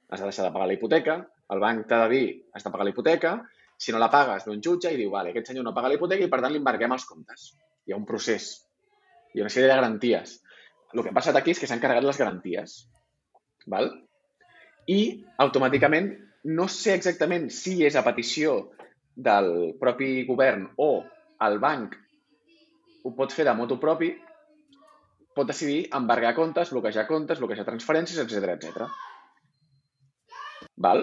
has de deixar de pagar la hipoteca, el banc t'ha de dir has de pagar la hipoteca, si no la pagues ve un jutge i diu vale, aquest senyor no paga la hipoteca i per tant li embarguem els comptes. Hi ha un procés, hi ha una sèrie de garanties. El que ha passat aquí és que s'han carregat les garanties. Val? I automàticament no sé exactament si és a petició del propi govern o el banc ho pot fer de motu propi, pot decidir embargar comptes, bloquejar transferències, etc. Val?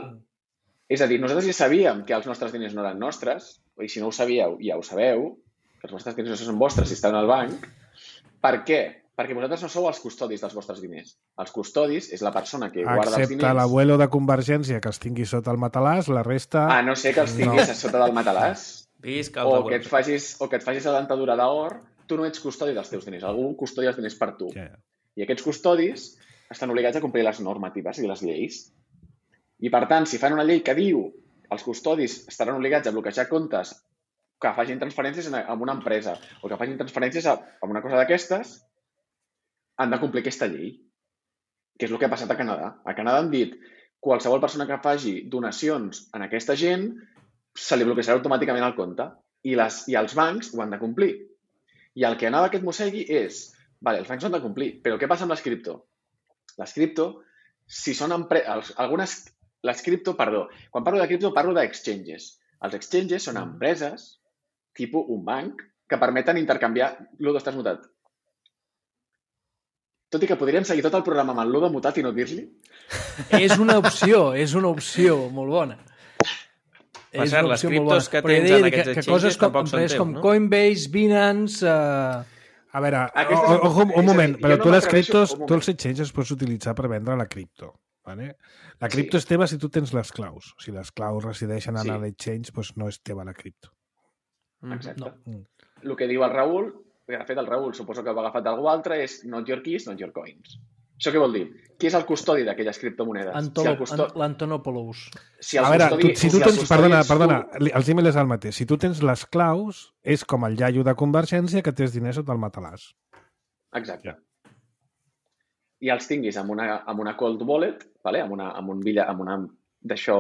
És a dir, nosaltres ja sabíem que els nostres diners no eren nostres, i si no ho sabíeu, ja ho sabeu, que els vostres diners no són vostres si estan al banc. Per què? Perquè vosaltres no sou els custodis dels vostres diners. Els custodis és la persona que guarda els diners. Excepte l'abuelo de Convergència que els tingui sota el matalàs, la resta... A no ser que els tinguis sota del matalàs. Visca o que et facis la dentadura d'or. Tu no ets custodi dels teus diners, algú custodia els diners per tu. Yeah. I aquests custodis estan obligats a complir les normatives i les lleis. I, per tant, si fan una llei que diu els custodis estaran obligats a bloquejar comptes que facin transferències a una empresa o que facin transferències a una cosa d'aquestes, han de complir aquesta llei, que és el que ha passat a Canadà. A Canadà han dit qualsevol persona que faci donacions a aquesta gent se li bloquejarà automàticament el compte i els bancs ho han de complir. I el que anava aquest mossegui és, vale, els bancs han de complir, però què passa amb les cripto? Les cripto, si són quan parlo de cripto parlo d'exchanges. Els exchanges són empreses, tipus un banc, que permeten intercanviar... Ludo, estàs mutat. Tot i que podríem seguir tot el programa amb el Ludo mutat i no dir-li. És una opció molt bona. Per cert, les criptos que tens en aquests exchanges tampoc són teus, com Coinbase, Binance... A veure, un moment, però tu les criptos, tu els exchanges pots utilitzar per vendre la cripto. Vale? La cripto és teva si tu tens les claus. Si les claus resideixen en l'exchange, doncs no és teva la cripto. Exacte. El que diu el Raül, que de fet el Raül suposo que ho ha agafat d'algú altre, és not your keys, not your coins. Això què vol dir? Qui és el custodi d'aquelles criptomonedes? L'Antonopoulos. A veure, si tu tens... Perdona, els emails és el mateix. Si tu tens les claus, és com el iaio de Convergència que tens diners sota el matalàs. Exacte. I els tinguis amb una cold wallet, vale? amb una d'això...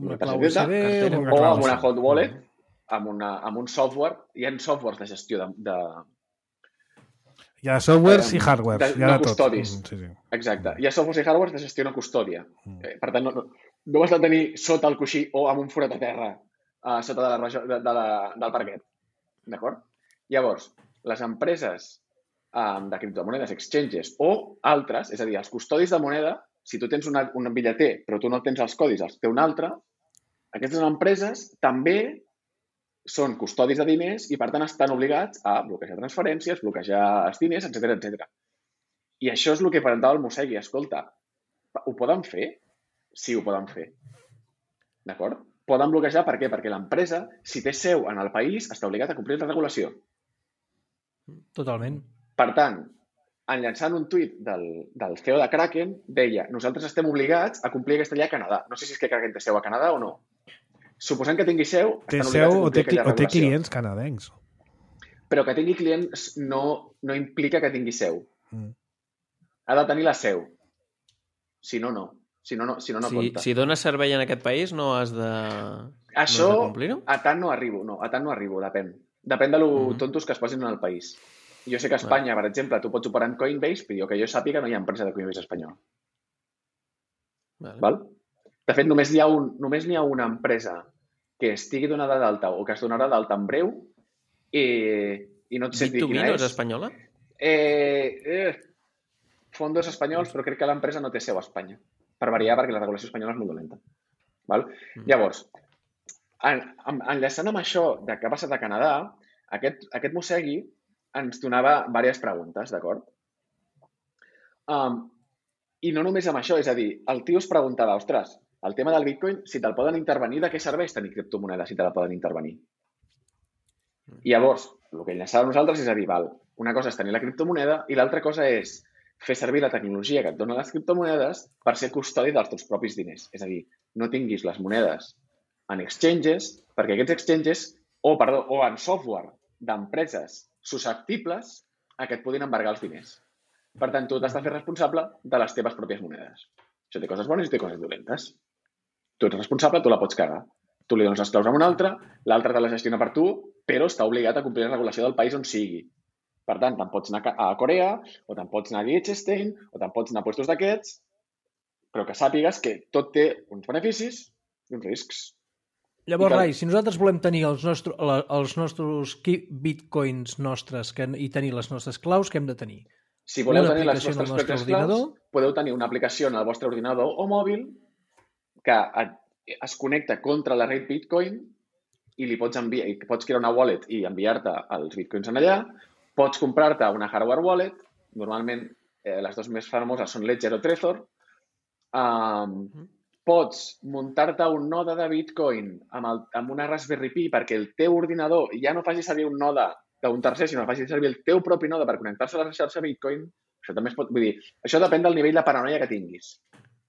Una clau USB, o amb una hot wallet, amb un software. Hi ha softwares de gestió de hi ha softwares i hardwares. No custodis. Exacte. Hi ha softwares i hardwares de gestió no custòdia. Per tant, no has de tenir sota el coixí o amb un forat a terra sota del parquet. D'acord? Llavors, les empreses de criptomonedes, exchanges o altres, és a dir, els custodis de moneda, si tu tens un bitlleter però tu no tens els codis, els té un altre, aquestes empreses també són custodis de diners i, per tant, estan obligats a bloquejar transferències, bloquejar els diners, etc. I això és el que presentava el mossegui. Escolta, ho poden fer? Sí, ho poden fer. D'acord? Poden bloquejar per què? Perquè l'empresa, si té seu en el país, està obligat a complir la regulació. Totalment. Per tant, enllaçant un tuit del CEO de Kraken, deia nosaltres estem obligats a complir aquesta llei a Canadà. No sé si és que Kraken té seu a Canadà o no. Suposant que tingui seu, té seu o té clients canadencs. Però que tingui clients no implica que tingui seu. Ha de tenir la seu. Si no, no. Si no compta. Si dones servei en aquest país, no has de... Això, no has de complir-ho? a tant no arribo, depèn. Depèn de lo tontos que es posin en el país. Jo sé que a Espanya, per exemple, tu pots operar en Coinbase, però que jo sàpiga no hi ha empresa de Coinbase espanyol. Val? De fet, només n'hi ha una empresa que estigui donada d'alta o que es donarà d'alta en breu i no et sé dir quina és. Bit2Me no és espanyola? fondos espanyols, però crec que l'empresa no té seu a Espanya. Per variar, perquè la regulació espanyola és molt dolenta. Val? Llavors, enllaçant amb això de què ha passat a Canadà, aquest mossegui ens donava diverses preguntes, d'acord? I no només amb això, és a dir, el tio es preguntava, ostres, el tema del Bitcoin, si te'l poden intervenir, de què serveix tenir criptomoneda si te la poden intervenir? I llavors, el que enllaçava nosaltres és a dir, val, una cosa és tenir la criptomoneda i l'altra cosa és fer servir la tecnologia que et donen les criptomonedes per ser custodi dels teus propis diners. És a dir, no tinguis les monedes en exchanges, perquè aquests exchanges, o en software d'empreses susceptibles a que et puguin embargar els diners. Per tant, tu t'has de fer responsable de les teves pròpies monedes. Això té coses bones i té coses dolentes. Tu ets responsable, tu la pots cagar. Tu li dones les claus a un altre, l'altre te la gestiona per tu, però està obligat a complir la regulació del país on sigui. Per tant, te'n pots anar a Corea, o te'n pots anar a Liechtenstein, o te'n pots anar a puestos d'aquests, però que sàpigues que tot té uns beneficis i uns riscs. Llavors, Rai, si nosaltres volem tenir els nostres bitcoins nostres i tenir les nostres claus, què hem de tenir? Si voleu tenir les vostres pròpies claus, podeu tenir una aplicació en el vostre ordinador o mòbil que es connecta contra la red Bitcoin i li pots enviar, pots crear una wallet i enviar-te els bitcoins en allà. Pots comprar-te una hardware wallet. Normalment, les dues més famoses són Ledger o Trezor. Pots muntar-te un node de Bitcoin amb una Raspberry Pi perquè el teu ordinador ja no faci servir un node d'un tercer, sinó que faci servir el teu propi node per connectar-se a la xarxa Bitcoin. Això també es pot... Vull dir, això depèn del nivell de paranoia que tinguis.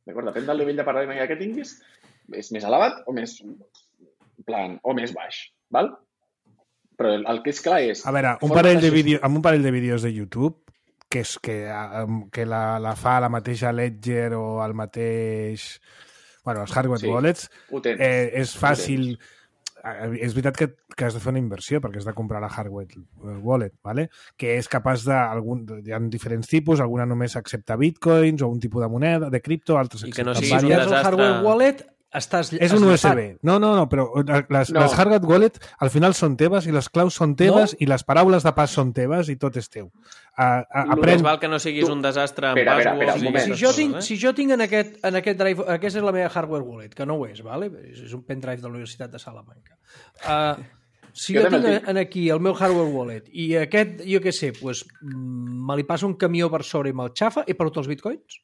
D'acord? Depèn del nivell de paranoia que tinguis. És més elevat o més baix. Val? Però el que és clar és... A veure, amb un parell de vídeos de YouTube que la fa la mateixa Ledger o el mateix... Bueno, els hardware wallets, és fàcil... És veritat que has de fer una inversió perquè has de comprar la hardware wallet, ¿vale? Que és capaç de... Hi ha diferents tipus, alguna només accepta bitcoins o un tipus de moneda, de cripto, altres accepten... I que no siguis un desastre... El hardware wallet és un USB. No, però les hardware wallet al final són teves i les claus són teves i les paraules de pas són teves i tot és teu. Més val que no siguis un desastre amb passwords. Si jo tinc en aquest drive, aquesta és la meva hardware wallet, que no ho és, ¿vale? És un pendrive de la Universitat de Salamanca. Si jo tinc aquí el meu hardware wallet i aquest, jo què sé, me li passa un camió per sobre i me'l xafa, he perdut els bitcoins?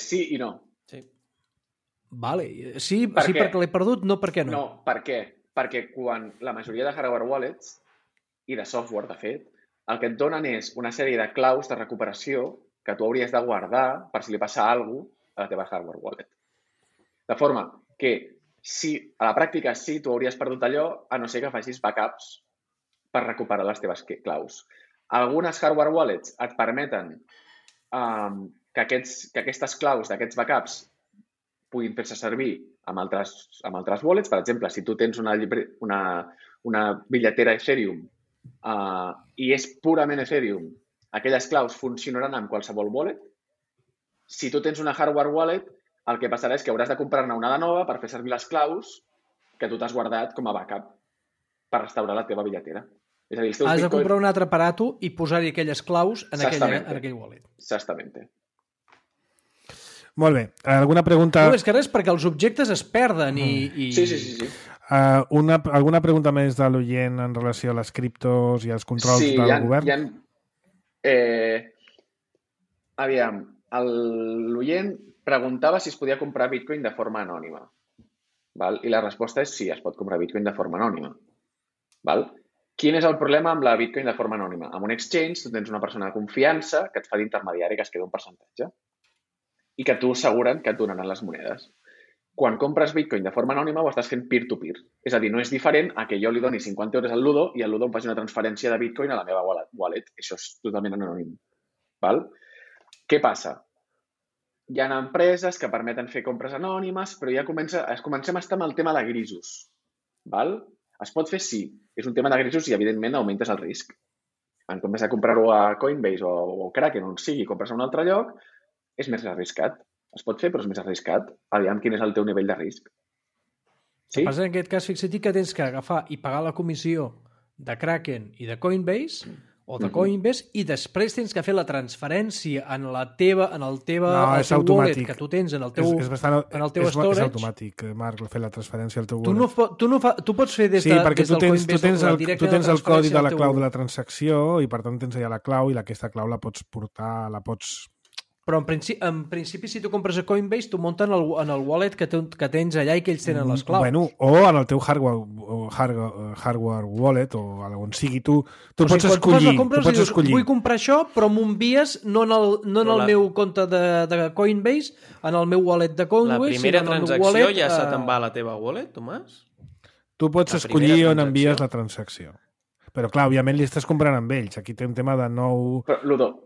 Sí i no. Vale. Sí perquè l'he perdut, no perquè no. No, per què? Perquè quan la majoria de hardware wallets i de software, de fet, el que et donen és una sèrie de claus de recuperació que tu hauries de guardar per si li passa alguna cosa a la teva hardware wallet. De forma que a la pràctica sí, tu hauries perdut allò, a no ser que facis backups per recuperar les teves claus. Algunes hardware wallets et permeten que aquestes claus d'aquests backups puguin fer-se servir amb altres wallets. Per exemple, si tu tens una bitlletera Ethereum i és purament Ethereum, aquelles claus funcionaran amb qualsevol wallet. Si tu tens una hardware wallet, el que passarà és que hauràs de comprar-ne una de nova per fer servir les claus que tu t'has guardat com a backup per restaurar la teva bitlletera. És a dir, has de comprar un altre aparato i posar-hi aquelles claus en aquell wallet. Exactament. Molt bé. Alguna pregunta... No, és que res, perquè els objectes es perden i... Sí. Alguna pregunta més de l'oient en relació a les criptos i als controls del govern? Aviam, l'oient preguntava si es podia comprar Bitcoin de forma anònima. Val? I la resposta és sí, es pot comprar Bitcoin de forma anònima. Val? Quin és el problema amb la Bitcoin de forma anònima? Amb un exchange, tu tens una persona de confiança que et fa d'intermediari que es queda un percentatge i que tu asseguren que et donaran les monedes. Quan compres Bitcoin de forma anònima ho estàs fent peer-to-peer. És a dir, no és diferent a que jo li doni 50 euros al Ludo i el Ludo em faci una transferència de Bitcoin a la meva wallet. Això és totalment anònim. Val? Què passa? Hi ha empreses que permeten fer compres anònimes, però ja comencem a estar amb el tema de grisos. Val? Es pot fer sí. És un tema de grisos i, evidentment, augmentes el risc. En comptes de comprar-ho a Coinbase o Kraken, on sigui, compres a un altre lloc, és més arriscat. Es pot fer, però és més arriscat. Aviam quin és el teu nivell de risc. Sí? El que passa en aquest cas, fixa't que tens que agafar i pagar la comissió de Kraken i de Coinbase o de Coinbase, i després tens que fer la transferència en el teu wallet que tu tens en el teu storage. És automàtic, Marc, fer la transferència al teu wallet. Tu pots fer des del Coinbase directe. Tu tens el codi de la clau de la transacció i per tant tens allà la clau i aquesta clau la pots portar, Però en principi, si tu compres a Coinbase, tu munten en el wallet que tens allà i que ells tenen les claus. Bueno, o en el teu hardware wallet, o on sigui, tu pots escollir. Vull comprar això, però m'ho envies no en el meu compte de Coinbase, en el meu wallet de Coinbase. La primera transacció ja se te'n va a la teva wallet, Tomàs? Tu pots escollir on envies la transacció. Però, clar, òbviament li estàs comprant amb ells. Aquí té un tema de nou... Però, Ludo,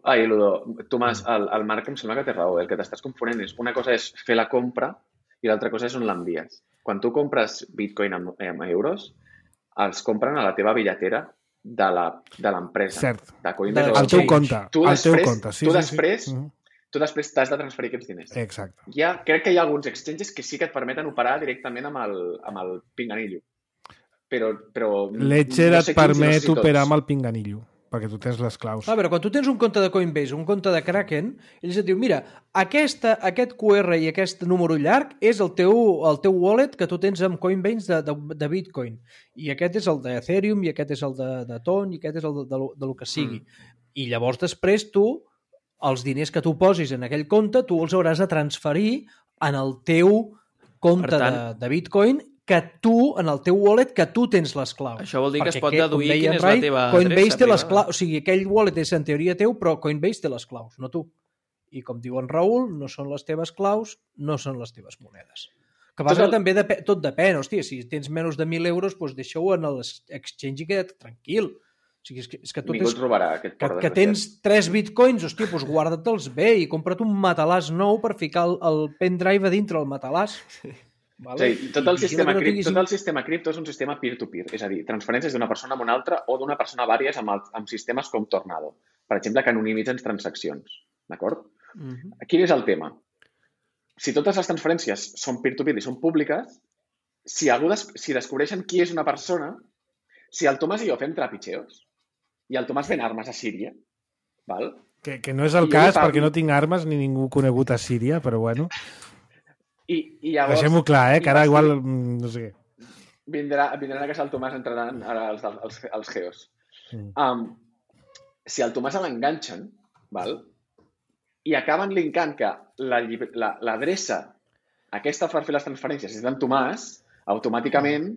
Tomàs, el Marc em sembla que té raó. El que t'estàs confonent és una cosa és fer la compra i l'altra cosa és on l'envies. Quan tu compres Bitcoin amb euros, els compren a la teva billetera de l'empresa. Cert. De Coinbase. Al teu compte. Tu després t'has de transferir aquests diners. Exacte. Crec que hi ha alguns exchanges que sí que et permeten operar directament amb el pinganillo. Però Ledger et permet operar amb el pinganillo, perquè tu tens les claus. Però quan tu tens un compte de Coinbase, un compte de Kraken, ells et diuen, mira, aquest QR i aquest número llarg és el teu wallet que tu tens amb Coinbase de Bitcoin. I aquest és el d'Ethereum, i aquest és el de Ton, i aquest és el de lo que sigui. I llavors després tu, els diners que tu posis en aquell compte, tu els hauràs de transferir en el teu compte de Bitcoin que tu, en el teu wallet, que tu tens les claus. Això vol dir que es pot deduir quina és la teva Coinbase té les claus, o sigui, aquell wallet és en teoria teu, però Coinbase té les claus, no tu. I com diu en Raül, no són les teves claus, no són les teves monedes. Que vas també tot depèn, hòstia, si tens menys de 1.000 euros, doncs deixa-ho en l'exchange i queda't tranquil. O sigui, és que tu que tens 3 bitcoins, hòstia, doncs guarda-te'ls bé i compra't un matalàs nou per ficar el pendrive a dintre el matalàs. Vale? Sí, tot el sistema cripto és un sistema peer-to-peer, és a dir, transferències d'una persona a una altra o d'una persona a vàries amb sistemes com Tornado, per exemple, que anonimitzen transaccions, d'acord? Quin és el tema? Si totes les transferències són peer-to-peer i són públiques, si descobreixen qui és una persona, si el Tomàs i jo fem trapitxeos i el Tomàs ven armes a Síria, val? Que no és el cas perquè no tinc armes ni ningú conegut a Síria, però bueno... I llavors... Deixem-ho clar, que ara igual... no sé què. Vindran a casa el Tomàs, entraran ara els geos. Si el Tomàs l'enganxen, val? I acaben linkant que l'adreça aquesta per fer les transferències és d'en Tomàs, automàticament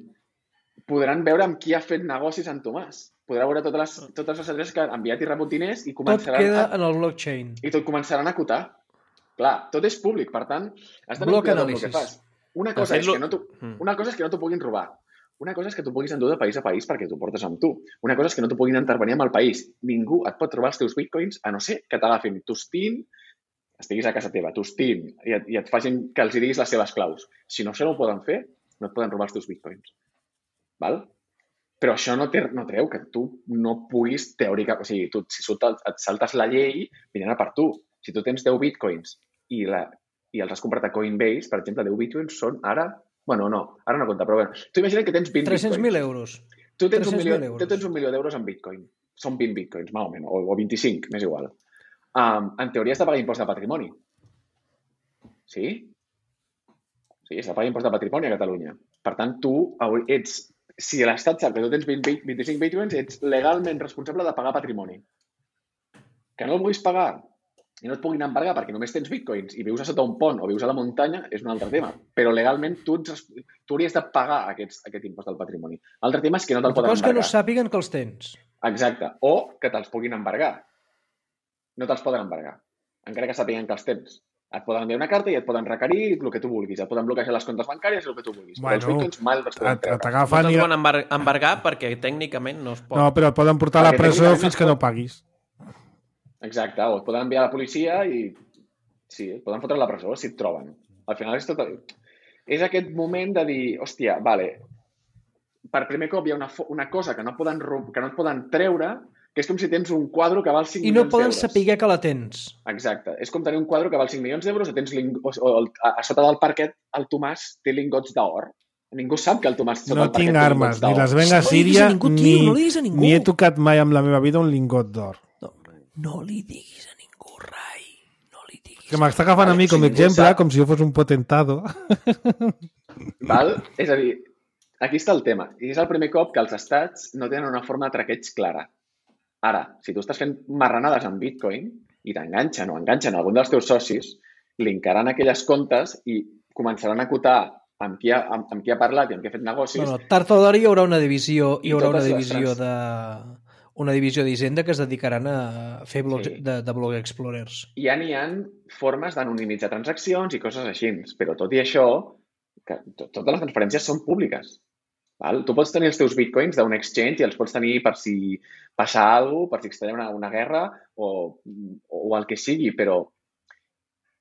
podran veure amb qui ha fet negocis en Tomàs. Podrà veure totes les adreces que han enviat i rebut diners i començaran... Tot queda en el blockchain. I tot començaran a acotar. Clar, tot és públic, per tant, has de cuidar del que fas. Una cosa és que no t'ho puguin robar. Una cosa és que t'ho puguis endur de país a país perquè t'ho portes amb tu. Una cosa és que no t'ho puguin intervenir amb el país. Ningú et pot robar els teus bitcoins a no ser que t'agafin tostin, estiguis a casa teva, tostin, i et facin que els diguis les seves claus. Si no, això no ho poden fer, no et poden robar els teus bitcoins. Val? Però això no treu que tu no puguis teòricament... O sigui, si et saltes la llei, vindran a per tu. Si tu tens 10 bitcoins i els has comprat a Coinbase, per exemple, 10 bitcoins són ara... Bueno, no, ara no compta, però bé. Tu imagina't que tens 20 bitcoins. 300.000 euros. Tu tens 1 milió d'euros en bitcoin. Són 20 bitcoins, més o menys, o 25, m'és igual. En teoria has de pagar impost de patrimoni. Sí? Sí, has de pagar impost de patrimoni a Catalunya. Per tant, tu ets... Si l'Estat sap que tu tens 25 bitcoins, ets legalment responsable de pagar patrimoni. Que no el vulguis pagar i no et puguin embargar perquè només tens bitcoins i vius a sota un pont o vius a la muntanya és un altre tema. Però legalment tu hauries de pagar aquest impost del patrimoni. L'altre tema és que no te'l poden embargar. Que no sàpiguen que els tens. Exacte. O que te'ls puguin embargar. No te'ls poden embargar. Encara que sàpiguen que els tens. Et poden enviar una carta i et poden requerir el que tu vulguis. Et poden bloquejar les comptes bancàries, el que tu vulguis. Però els bitcoins mai els poden treure. No te'ls poden embargar perquè tècnicament no es pot. No, però et poden portar a la presó fins que no paguis. Exacte, o et poden enviar a la policia i sí, et poden fotre a la presó si et troben. Al final és tot... És aquest moment de dir, hòstia, vale, per primer cop hi ha una cosa que no et poden treure, que és com si tens un quadre que val 5 milions d'euros. I no poden saber que la tens. Exacte. És com tenir un quadre que val 5 milions d'euros o tens a sota del parquet el Tomàs té lingots d'or. Ningú sap que el Tomàs... No tinc armes, ni les venc a Síria, ni he tocat mai en la meva vida un lingot d'or. No li diguis a ningú, Rai. No li diguis. Que m'està agafant a mi com a exemple, com si jo fos un potentado. Val? És a dir, aquí està el tema. I és el primer cop que els estats no tenen una forma de traqueig clara. Ara, si tu estàs fent marranades amb Bitcoin i t'enganxen o enganxen algun dels teus socis, linkaran aquelles comptes i començaran a acotar amb qui ha parlat i amb qui ha fet negocis. No, tard o d'hora hi haurà una divisió, una divisió d'Hisenda que es dedicaran a fer blocs de blog explorers. Ja n'hi ha formes d'anonimitzar transaccions i coses així, però tot i això, totes les transferències són públiques. Val? Tu pots tenir els teus bitcoins d'un exchange i els pots tenir per si passa alguna cosa, per si extreure una guerra o el que sigui, però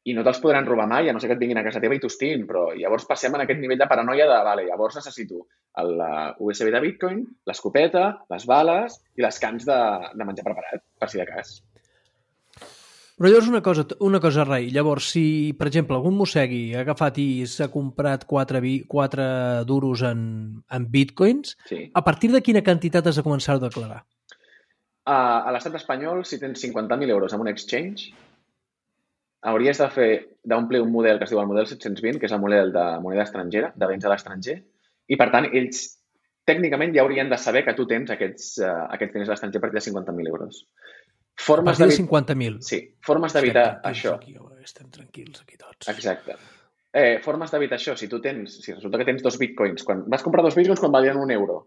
i no te'ls podran robar mai, a no ser que et vinguin a casa teva i t'hostin, però llavors passem en aquest nivell de paranoia de, llavors necessito el USB de Bitcoin, l'escopeta, les bales i les cans de menjar preparat, per si de cas. Però llavors una cosa, Rai, llavors si, per exemple, algun mossegui ha agafat i s'ha comprat 4 duros en Bitcoins, a partir de quina quantitat has de començar a declarar? A l'estat espanyol, si tens 50.000 euros en un exchange, hauries d'omplir un model que es diu el model 720, que és el model de moneda estrangera, de béns a l'estranger, i per tant ells tècnicament ja haurien de saber que tu tens aquests diners a l'estranger a partir de 50.000 euros. A partir de 50.000? Sí, formes d'evitar això. Estem tranquils aquí tots. Exacte. Formes d'evitar això, si resulta que tens 2 bitcoins, vas comprar 2 bitcoins quan valien €1,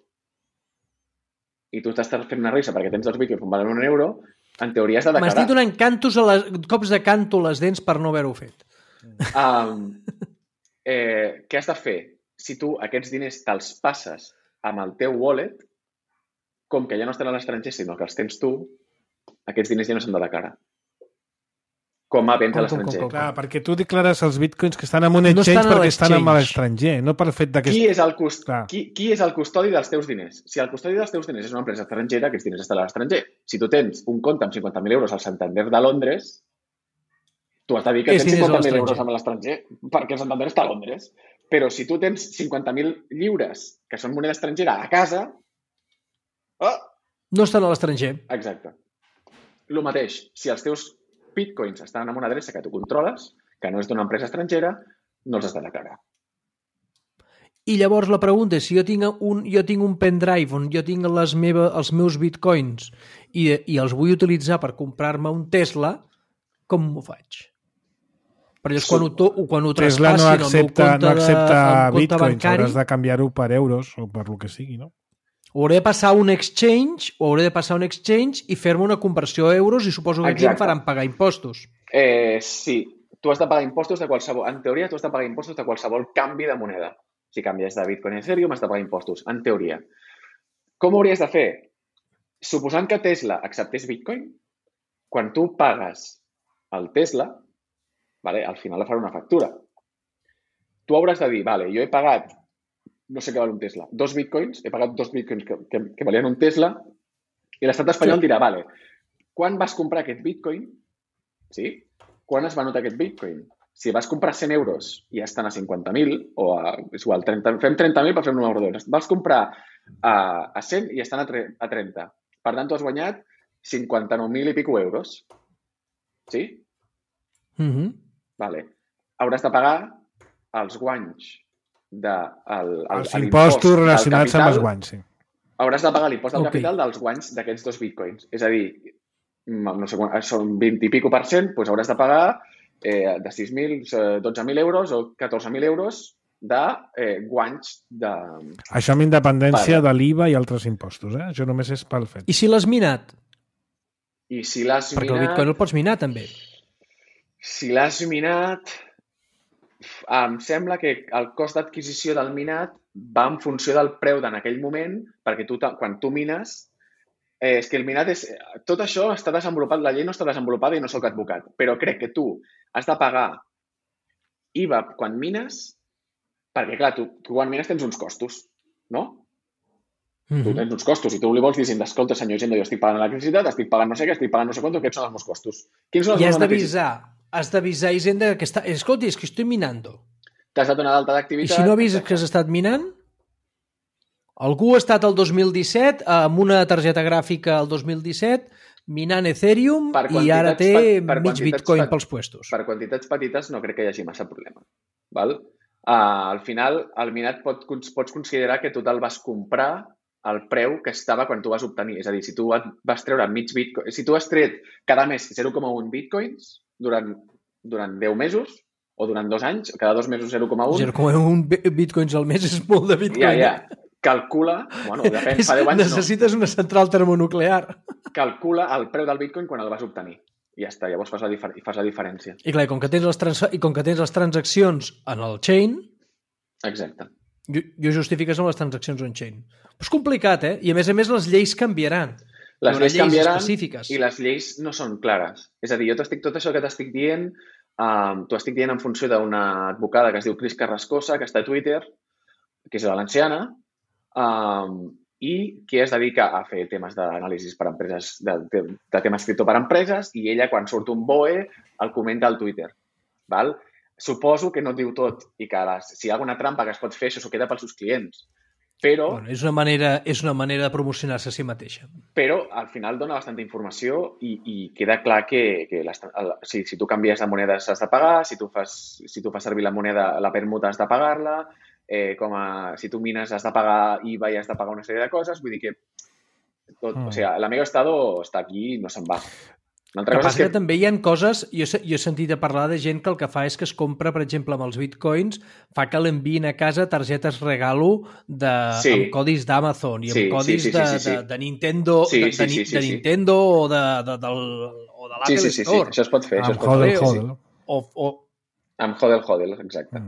i tu t'estàs fent una risa perquè tens 2 bitcoins quan valen €1, en teoria has de declarar. M'estic donant cops de canto a les dents per no haver-ho fet. Què has de fer? Si tu aquests diners te'ls passes amb el teu wallet, com que ja no estan a l'estranger, sinó que els tens tu, aquests diners ja no s'han de declarar. Com a béns a l'estranger. Clar, perquè tu declares els bitcoins que estan en un exchange perquè estan a l'estranger, no per fet que... Qui és el custodi dels teus diners? Si el custodi dels teus diners és una empresa estrangera, aquests diners estan a l'estranger. Si tu tens un compte amb 50.000 euros al Santander de Londres, tu has de dir que tens 50.000 euros a l'estranger, perquè el Santander està a Londres. Però si tu tens 50.000 lliures, que són moneda estrangera, a casa... No estan a l'estranger. Exacte. El mateix, si els teus bitcoins estan en una adreça que tu controles, que no és d'una empresa estrangera, no els has de declarar. I llavors la pregunta és, si jo tinc un pendrive on jo tinc els meus bitcoins i els vull utilitzar per comprar-me un Tesla, com m'ho faig? Perquè quan ho Tesla no accepta bitcoins, hauràs de canviar-ho per euros o per lo que sigui, no? Hauré de passar un exchange i fer-me una conversió a euros i suposo que aquí em faran pagar impostos. Sí, tu has de pagar impostos de qualsevol... En teoria, tu has de pagar impostos de qualsevol canvi de moneda. Si canvies de Bitcoin a Ethereum, has de pagar impostos, en teoria. Com ho hauries de fer? Suposant que Tesla acceptés Bitcoin, quan tu pagues el Tesla, al final farà una factura. Tu hauràs de dir, jo he pagat no sé què val un Tesla, 2 bitcoins, he pagat 2 bitcoins que valien un Tesla, i l'estat espanyol dirà, quan vas comprar aquest bitcoin? Sí? Quan es va notar aquest bitcoin? Si vas comprar 100 euros i ja estan a 50.000, o és igual, fem 30.000 per fer un número d'euros. Vas comprar a 100 i estan a 30. Per tant, tu has guanyat 59.000 i pico euros. Sí? Vale. Hauràs de pagar els guanys els impostos relacionats amb els guanys, sí. Hauràs de pagar l'impost del capital dels guanys d'aquests 2 bitcoins. És a dir, no sé, són 20 i pico %, doncs hauràs de pagar de 6.000, 12.000 euros o 14.000 euros de guanys de... Això amb independència de l'IVA i altres impostos, Això només és pel fet. I si l'has minat? Perquè el bitcoin el pots minar, també. Si l'has minat... Em sembla que el cost d'adquisició del minat va en funció del preu d'en aquell moment, perquè quan tu mines, és que el minat és... Tot això està desenvolupat, la llei no està desenvolupada i no soc advocat, però crec que tu has de pagar IVA quan mines, perquè clar, tu quan mines tens uns costos, no? Tu tens uns costos i tu li vols dir, escolta, senyor Hisenda, jo estic pagant electricitat, estic pagant no sé què, estic pagant no sé quant, aquests són els meus costos. I has d'avisar Hisenda que escolti, és que estoy minando. t'has de donar d'alta I d'activitat... si no ha vist que has estat minant? Algú ha estat el 2017 amb una targeta gràfica el 2017 minant Ethereum i ara té mig bitcoin pels puestos. Per quantitats petites no crec que hi hagi massa problema. Val? Al final, el minat pots considerar que tu te'l vas comprar al preu que estava quan tu vas obtenir. És a dir, si tu vas treure mig bitcoin... Si tu has tret cada mes 0,1 bitcoins durant 10 mesos o durant 2 anys, cada 2 mesos 0,1... 0,1 bitcoins al mes és molt de bitcoin. Ja. Calcula, bueno, depèn, fa 10 anys necessites una central termonuclear. Calcula el preu del bitcoin quan el vas obtenir. I ja està, llavors fas la diferència. I clar, com que tens les transaccions en el chain... Exacte. Jo justifiques amb les transaccions on-chain. Però és complicat, I a més les lleis canviaran. Les lleis canviaran específiques. I les lleis no són clares. És a dir, tot això que t'estic dient, t'ho estic dient en funció d'una advocada que es diu Cris Carrascosa, que està a Twitter, que és valenciana, i que es dedica a fer temes d'anàlisis per empreses, de temes cripto per empreses, i ella, quan surt un BOE, el comenta al Twitter. Val? Suposo que no et diu tot i que si hi ha alguna trampa que es pot fer, això s'ho queda pels seus clients. Però... Bueno, és una manera de promocionar-se a si mateixa. Però, al final, dona bastanta informació i queda clar que si tu canvies de monedes has de pagar, si tu fas servir la moneda, la permuta has de pagar-la, si tu mines has de pagar IVA i has de pagar una sèrie de coses, vull dir que o sigui, l'Amigo Estado està aquí i no se'n va. El que passa que també hi ha coses, jo he sentit a parlar de gent que el que fa és que es compra, per exemple, amb els bitcoins, fa que l'enviïn a casa targetes regalo amb codis d'Amazon i amb codis de Nintendo de Nintendo o de l'Apple Store. Això es pot fer. Amb Hodel. Amb Hodel, exacte.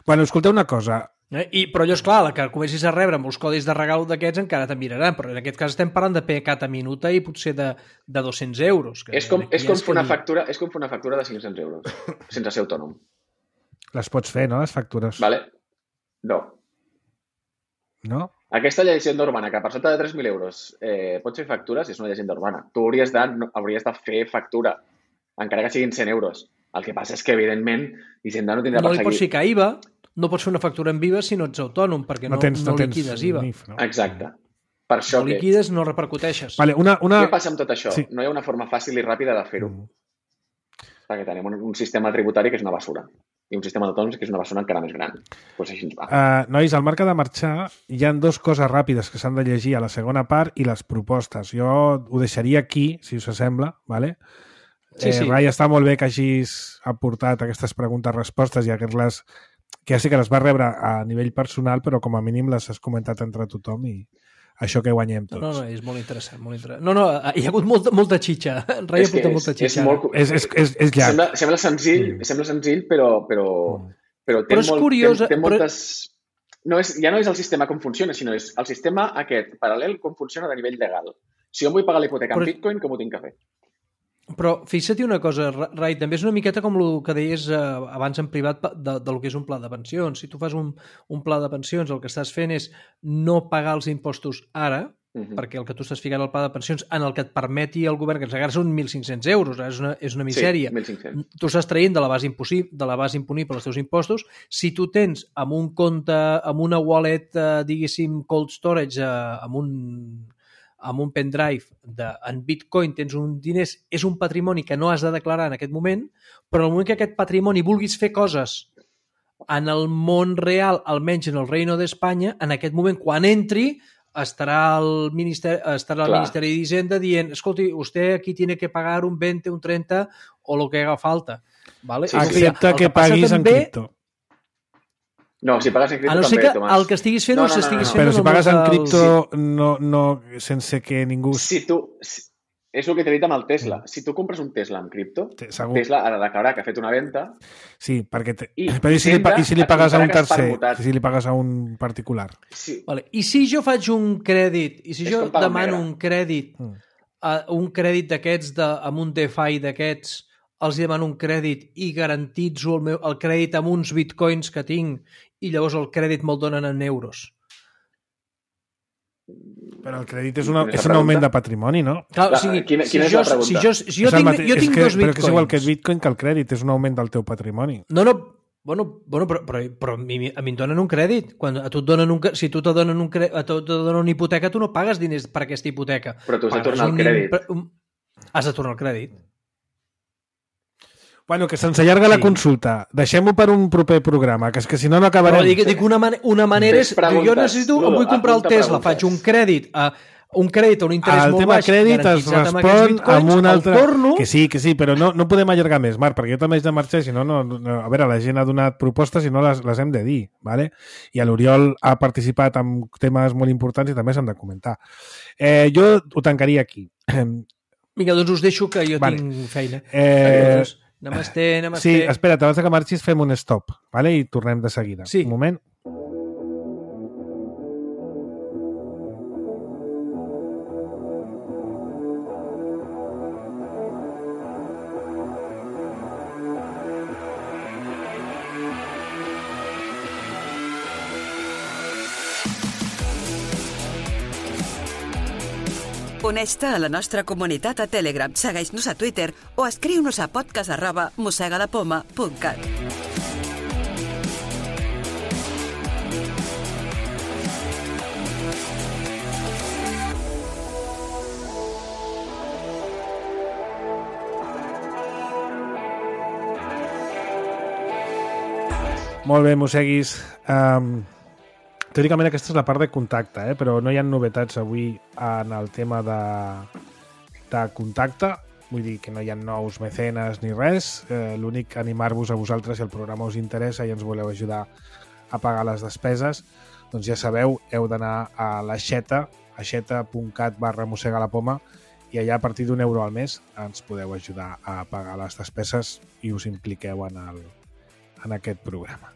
Bueno, escolteu una cosa. Però allò, esclar, la que comencis a rebre molts codis de regal d'aquests encara te'n miraran, però en aquest cas estem parlant de pecat a minuta i potser de 200 euros. És com fer una factura de 500 euros, sense ser autònom. Les pots fer, no, les factures? Vale. No. No? Aquesta llegenda urbana, que per sota de 3.000 euros pots fer factures, és una llegenda urbana. Tu hauries de fer factura, encara que siguin 100 euros. El que passa és que, evidentment, Hisenda no tindrà per seguir. No li pots ficar IVA, no pots fer una factura en IVA si no ets autònom, perquè no liquides IVA. Exacte. Per això no liquides, no repercuteixes. Vale, Què passa amb tot això? Sí. No hi ha una forma fàcil i ràpida de fer-ho. Perquè tenim un sistema tributari que és una basura. I un sistema d'autònoms que és una basura encara més gran. Pues així ens va. Nois, al marc de marxar hi ha 2 coses ràpides que s'han de llegir a la segona part i les propostes. Jo ho deixaria aquí, si us sembla, vale? Sí. Rai, està molt bé que hagis aportat aquestes preguntes-respostes i aquestes que ja sé que les vas rebre a nivell personal, però com a mínim les has comentat entre tothom i això que guanyem tots. No, és molt interessant. No, hi ha hagut molta xitxa. Rai ha portat molta xitxa. És llarg. Sembla senzill, però té moltes... Ja no és el sistema com funciona, sinó és el sistema aquest paral·lel com funciona a nivell legal. Si jo em vull pagar la hipoteca en Bitcoin, com ho tinc que fer? Però fixa't una cosa, Rai, també és una miqueta com el que deies abans en privat del que és un pla de pensions. Si tu fas un pla de pensions, el que estàs fent és no pagar els impostos ara, perquè el que tu estàs ficant al pla de pensions en el que et permeti el govern, que ens encara són 1.500 euros, és una misèria. Sí, 1.500. Tu estàs traient de la base imponible els teus impostos. Si tu tens amb un compte, amb una wallet, diguéssim, cold storage, amb un pendrive en Bitcoin tens un diners, és un patrimoni que no has de declarar en aquest moment, però en el moment que aquest patrimoni vulguis fer coses en el món real, almenys en el Reino d'Espanya, en aquest moment, quan entri, estarà el Ministeri d'Hisenda dient, escolti, usted aquí tiene que pagar un 20, un 30 o lo que haga falta. ¿Vale? Sí, excepte que paguis en cripto. No, si pagues en cripto també, Tomàs. A no ser que el que estiguis fent estiguis fent... Però si pagues en cripto sense que ningú... És el que t'he dit amb el Tesla. Si tu compres un Tesla amb cripto, Tesla ha de declarar que ha fet una venda... Sí, perquè... Però i si li pagues a un tercer? Si li pagues a un particular? Sí. Vale. I si jo faig un crèdit, i si jo demano un crèdit d'aquests, amb un DeFi d'aquests, els demano un crèdit i garantitzo el crèdit amb uns bitcoins que tinc i llavors el crèdit me'l donen en euros. Però el crèdit és un augment de patrimoni, no? Clar, o sigui, quina és la pregunta? Jo tinc dos bitcoins... Però que és igual que el bitcoin que el crèdit, és un augment del teu patrimoni. No, Bueno, però a mi em donen un crèdit. Quan a tu et donen si tu te donen una hipoteca, tu no pagues diners per aquesta hipoteca. Però tu has de tornar el crèdit. Has de tornar el crèdit. Bueno, que se'ns allarga la consulta. Deixem-ho per un proper programa, que és que si no, no acabarem. Però dic una manera és... Jo necessito, em vull comprar el Tesla, faig un crèdit a un interès molt baix. El tema crèdit es respon amb un altre... Que sí, però no podem allargar més, Marc, perquè jo també haig de marxar, si no, a veure, la gent ha donat propostes i no les hem de dir, ¿vale? I l'Oriol ha participat en temes molt importants i també s'han de comentar. Jo ho tancaria aquí. Vinga, doncs us deixo que jo tinc feina. Namasté. Sí, espera't, abans que marxis fem un stop, ¿vale? I tornem de seguida. Sí. Un moment. Uneix-te a la nostra comunitat a Telegram, segueix-nos a Twitter o escriu-nos a podcast@mosegadapoma.cat. Molt bé, Mosseguis. Teòricament aquesta és la part de contacte, però no hi ha novetats avui en el tema de contacte. Vull dir que no hi ha nous mecenes ni res. L'únic animar-vos a vosaltres, si el programa us interessa i ens voleu ajudar a pagar les despeses, doncs ja sabeu, heu d'anar a aixeta.cat/mossegalapoma i allà a partir d'€1 al mes ens podeu ajudar a pagar les despeses i us impliqueu en aquest programa.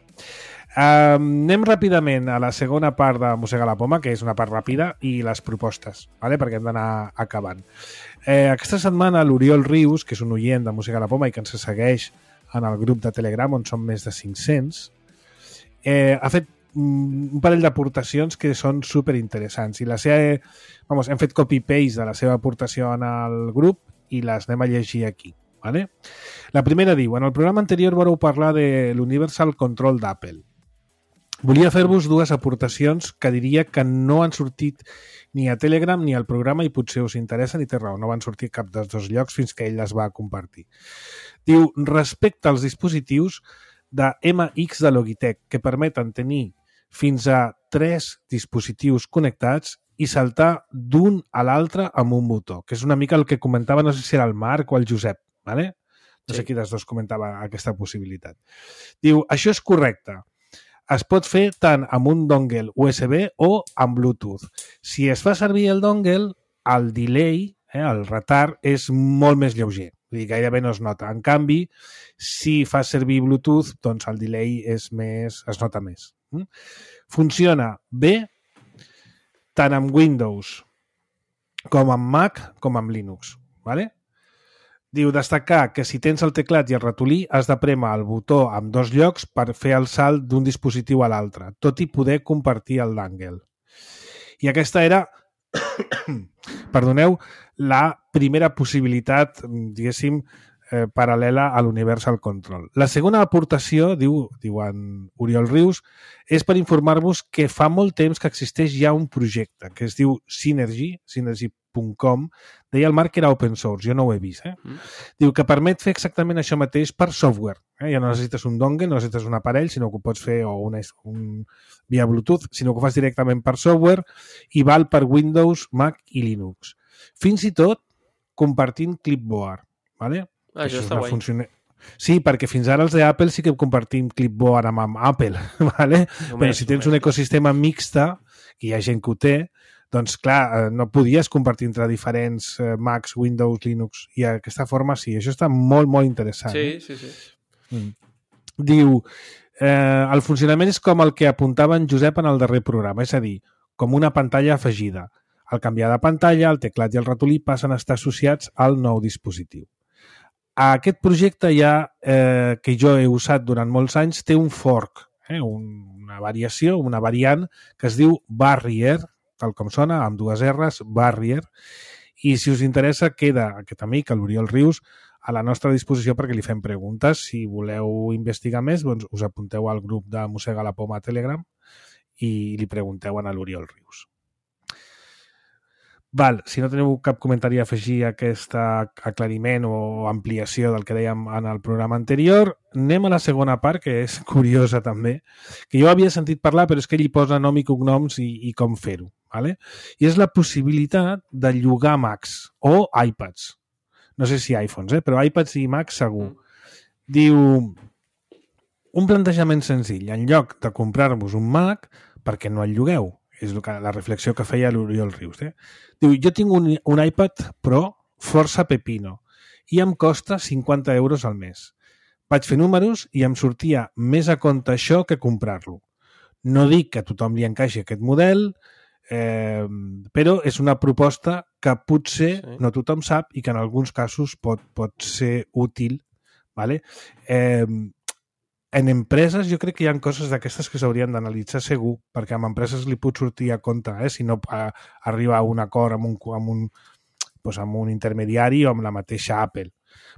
Anem ràpidament a la segona part de Mossega la Poma, que és una part ràpida, i les propostes, ¿vale? Perquè hem d'anar acabant. Aquesta setmana l'Oriol Rius, que és un oient de Mossega la Poma i que ens segueix en el grup de Telegram, on són més de 500, ha fet un parell d'aportacions que són superinteressants. I hem fet copy-paste de la seva aportació en el grup i les anem a llegir aquí. ¿Vale? La primera diu: en el programa anterior vareu parlar de l'Universal Control d'Apple. Volia fer-vos dues aportacions que diria que no han sortit ni a Telegram ni al programa i potser us interessa, ni té raó, no van sortir cap dels dos llocs fins que ell les va compartir. Diu: respecte als dispositius de MX de Logitech que permeten tenir fins a 3 dispositius connectats i saltar d'un a l'altre amb un botó, que és una mica el que comentava, no sé si era el Marc o el Josep, ¿vale? No sé qui dels dos comentava aquesta possibilitat. Diu: això és correcte. Es pot fer tant amb un dongle USB o amb Bluetooth. Si es fa servir el dongle, el delay, el retard, és molt més lleuger. Vull dir, gairebé no es nota. En canvi, si fas servir Bluetooth, doncs el delay es nota més. Funciona bé tant amb Windows com amb Mac com amb Linux. ¿Vale? Diu: destacar que si tens el teclat i el ratolí has de prémer el botó en 2 llocs per fer el salt d'un dispositiu a l'altre, tot i poder compartir el dongle. I aquesta era, perdoneu, la primera possibilitat, diguéssim, paral·lela a l'Universal Control. La segona aportació, diu en Oriol Rius, és per informar-vos que fa molt temps que existeix ja un projecte que es diu Synergy.com. Deia el Marc que era open source, jo no ho he vist. Diu que permet fer exactament això mateix per software. Ja no necessites un dongle, no necessites un aparell, sinó que ho pots fer via Bluetooth, sinó que ho fas directament per software i val per Windows, Mac i Linux. Fins i tot compartint clipboard. ¿Vale? Això està guai. Sí, perquè fins ara els d'Apple sí que compartim clipboard amb Apple, ¿vale? Però si tens un ecosistema mixta, que hi ha gent que ho té, doncs clar, no podies compartir entre diferents Macs, Windows, Linux, i d'aquesta forma sí. Això està molt, molt interessant. Sí. Diu: el funcionament és com el que apuntava en Josep en el darrer programa, és a dir, com una pantalla afegida. Al canviar de pantalla, el teclat i el ratolí passen a estar associats al nou dispositiu. Aquest projecte que jo he usat durant molts anys, té un fork, una variació, una variant que es diu Barrier, tal com sona, amb 2 R's, Barrier, i si us interessa, queda aquest amic, l'Oriol Rius, a la nostra disposició perquè li fem preguntes. Si voleu investigar més, doncs us apunteu al grup de Mossega la Poma a Telegram i li pregunteu a l'Oriol Rius. Val, si no teniu cap comentari a afegir a aquest aclariment o ampliació del que dèiem en el programa anterior, anem a la segona part, que és curiosa també, que jo havia sentit parlar, però és que ell hi posa nom i cognoms i com fer-ho. Vale? I és la possibilitat de llogar Macs o iPads. No sé si iPhones, però iPads i Macs segur. Diu, un plantejament senzill. En lloc de comprar-vos un Mac, per què no el llogueu? És la reflexió que feia l'Oriol Rius. Diu, jo tinc un iPad Pro força pepino i em costa 50 euros al mes. Vaig fer números i em sortia més a compte això que comprar-lo. No dic que a tothom li encaixi aquest model, però és una proposta que potser no tothom sap i que en alguns casos pot ser útil. Vale? En empreses jo crec que hi ha coses d'aquestes que s'haurien d'analitzar segur, perquè amb empreses li pot sortir a compte, si no arriba a un acord amb un intermediari o amb la mateixa Apple.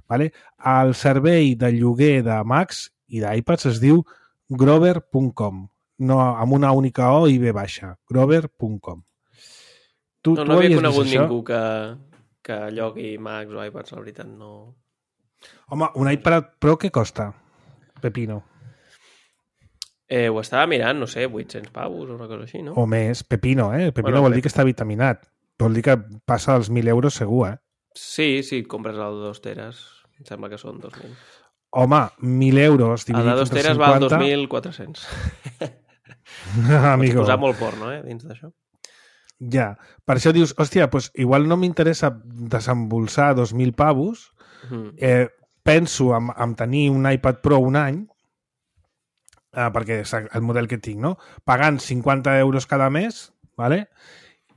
Vale? El servei de lloguer de Macs i d'iPads es diu grover.com, no amb una única O i B baixa, grover.com. No havia conegut ningú que llogui Macs o iPads, la veritat, no... Home, un iPad Pro què costa? Pepino. Ho estava mirant, no sé, 800 pavos o una cosa així, no? O més. Pepino, Pepino vol dir que està vitaminat. Vol dir que passa dels 1.000 euros segur, Sí, si compres el de 2 teres, em sembla que són 2.000. Home, 1.000 euros dividit entre 50... El de 2 teres val 2.400. Amigo. Pots posar molt porno, dins d'això. Ja. Per això dius, hòstia, doncs igual no m'interessa desembolsar 2.000 pavos, penso en tenir un iPad Pro un any, perquè és el model que tinc, no? Pagant 50 euros cada mes, ¿vale?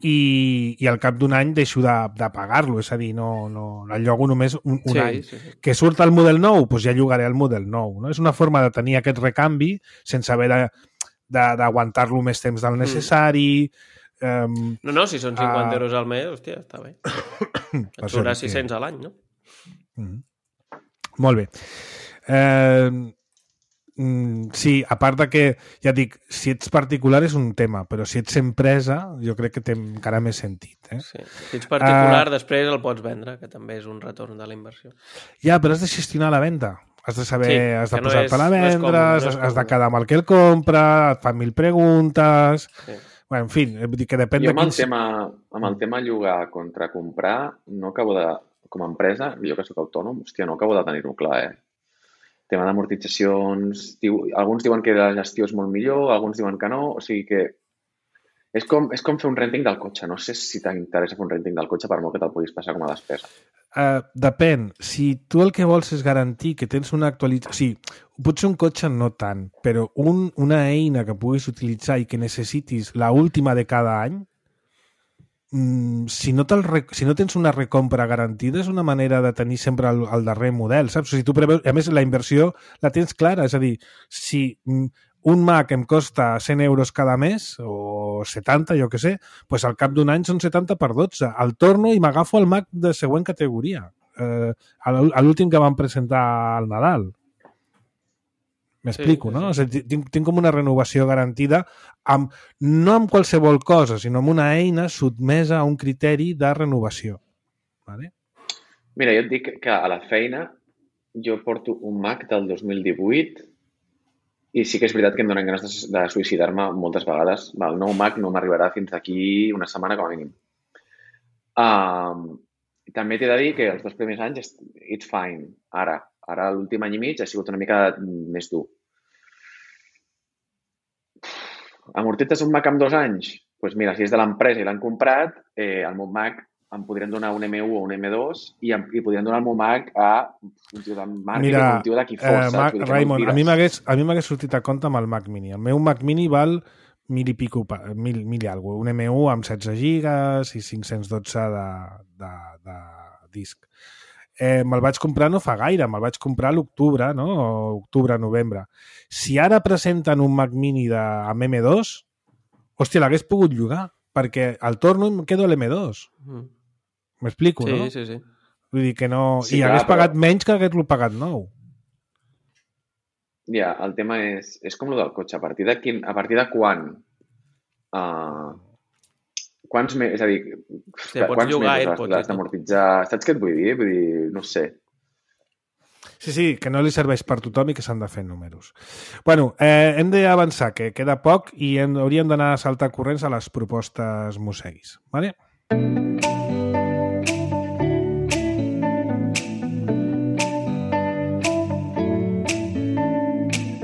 I al cap d'un any deixo de pagar-lo, és a dir, no el llogo només un any. Sí. Que surt el model nou, doncs ja llogaré el model nou. No? És una forma de tenir aquest recanvi sense haver d'aguantar-lo més temps del necessari. No, si són 50 euros al mes, hòstia, està bé. Et sobrarà 600 a l'any, no? Molt bé. Sí, a part de que, ja dic, si ets particular és un tema, però si ets empresa jo crec que té encara més sentit. Sí. Si ets particular, després el pots vendre, que també és un retorn de la inversió. Ja, però has de gestionar la venda. Has de saber, has de posar-te a la venda, has de quedar amb el que el compra, et fan 1.000 preguntes... Sí. Bueno, en fi, que depèn de quins... Amb el tema llogar contra comprar, no acabo de... Com a empresa, jo que soc autònom, hòstia, no acabo de tenir-ho clar, Tema d'amortitzacions... Alguns diuen que la gestió és molt millor, alguns diuen que no, o sigui que... És com fer un renting del cotxe. No sé si t'interessa fer un renting del cotxe per molt que te'l puguis passar com a despesa. Depèn. Si tu el que vols és garantir que tens una actualització... Sí, potser un cotxe no tant, però una eina que puguis utilitzar i que necessitis l'última de cada any, si no tens una recompra garantida és una manera de tenir sempre el darrer model, saps? O sigui, tu preveus, a més la inversió la tens clara, és a dir, si un Mac em costa 100 euros cada mes o 70, jo què sé, doncs al cap d'un any són 70 per 12. El torno i m'agafo el Mac de següent categoria, l'últim que vam presentar al Nadal. M'explico, no? O sigui, tinc com una renovació garantida no amb qualsevol cosa, sinó amb una eina sotmesa a un criteri de renovació. Vale? Mira, jo et dic que a la feina jo porto un Mac del 2018 i sí que és veritat que em donen ganes de suïcidar-me moltes vegades. El nou Mac no m'arribarà fins d'aquí una setmana com a mínim. També t'he de dir que els 2 primers anys it's fine. Ara l'últim any i mig ha sigut una mica més dur. Amortitzes un Mac amb 2 anys? Doncs mira, si és de l'empresa i l'han comprat, el meu Mac em podrien donar un M1 o un M2 i podrien donar el meu Mac a un tio de màrqueting o un tio de qui fos. Raimon, a mi m'hagués sortit a compte amb el Mac Mini. El meu Mac Mini val 1.000 i pico, 1.000 i alguna cosa. Un M1 amb 16 gigas i 512 de disc. Me'l vaig comprar no fa gaire, me'l vaig comprar a l'octubre, no? Octubre-novembre. Si ara presenten un Mac Mini amb M2, hòstia, l'hagués pogut llogar, perquè al torno em quedo a l'M2. M'explico, no? Sí. Vull dir que no... Sí, I clar, hagués pagat menys que hagués-lo pagat nou. Ja, el tema és com el del cotxe. A partir de quan? Quants mesos, és a dir, quants mesos l'has d'amortitzar? Saps què et vull dir? Vull dir, no sé. Sí, que no li serveix per tothom i que s'han de fer números. Bueno, hem d'avançar, que queda poc i hauríem d'anar a saltar corrents a les propostes mosseguis. Vale?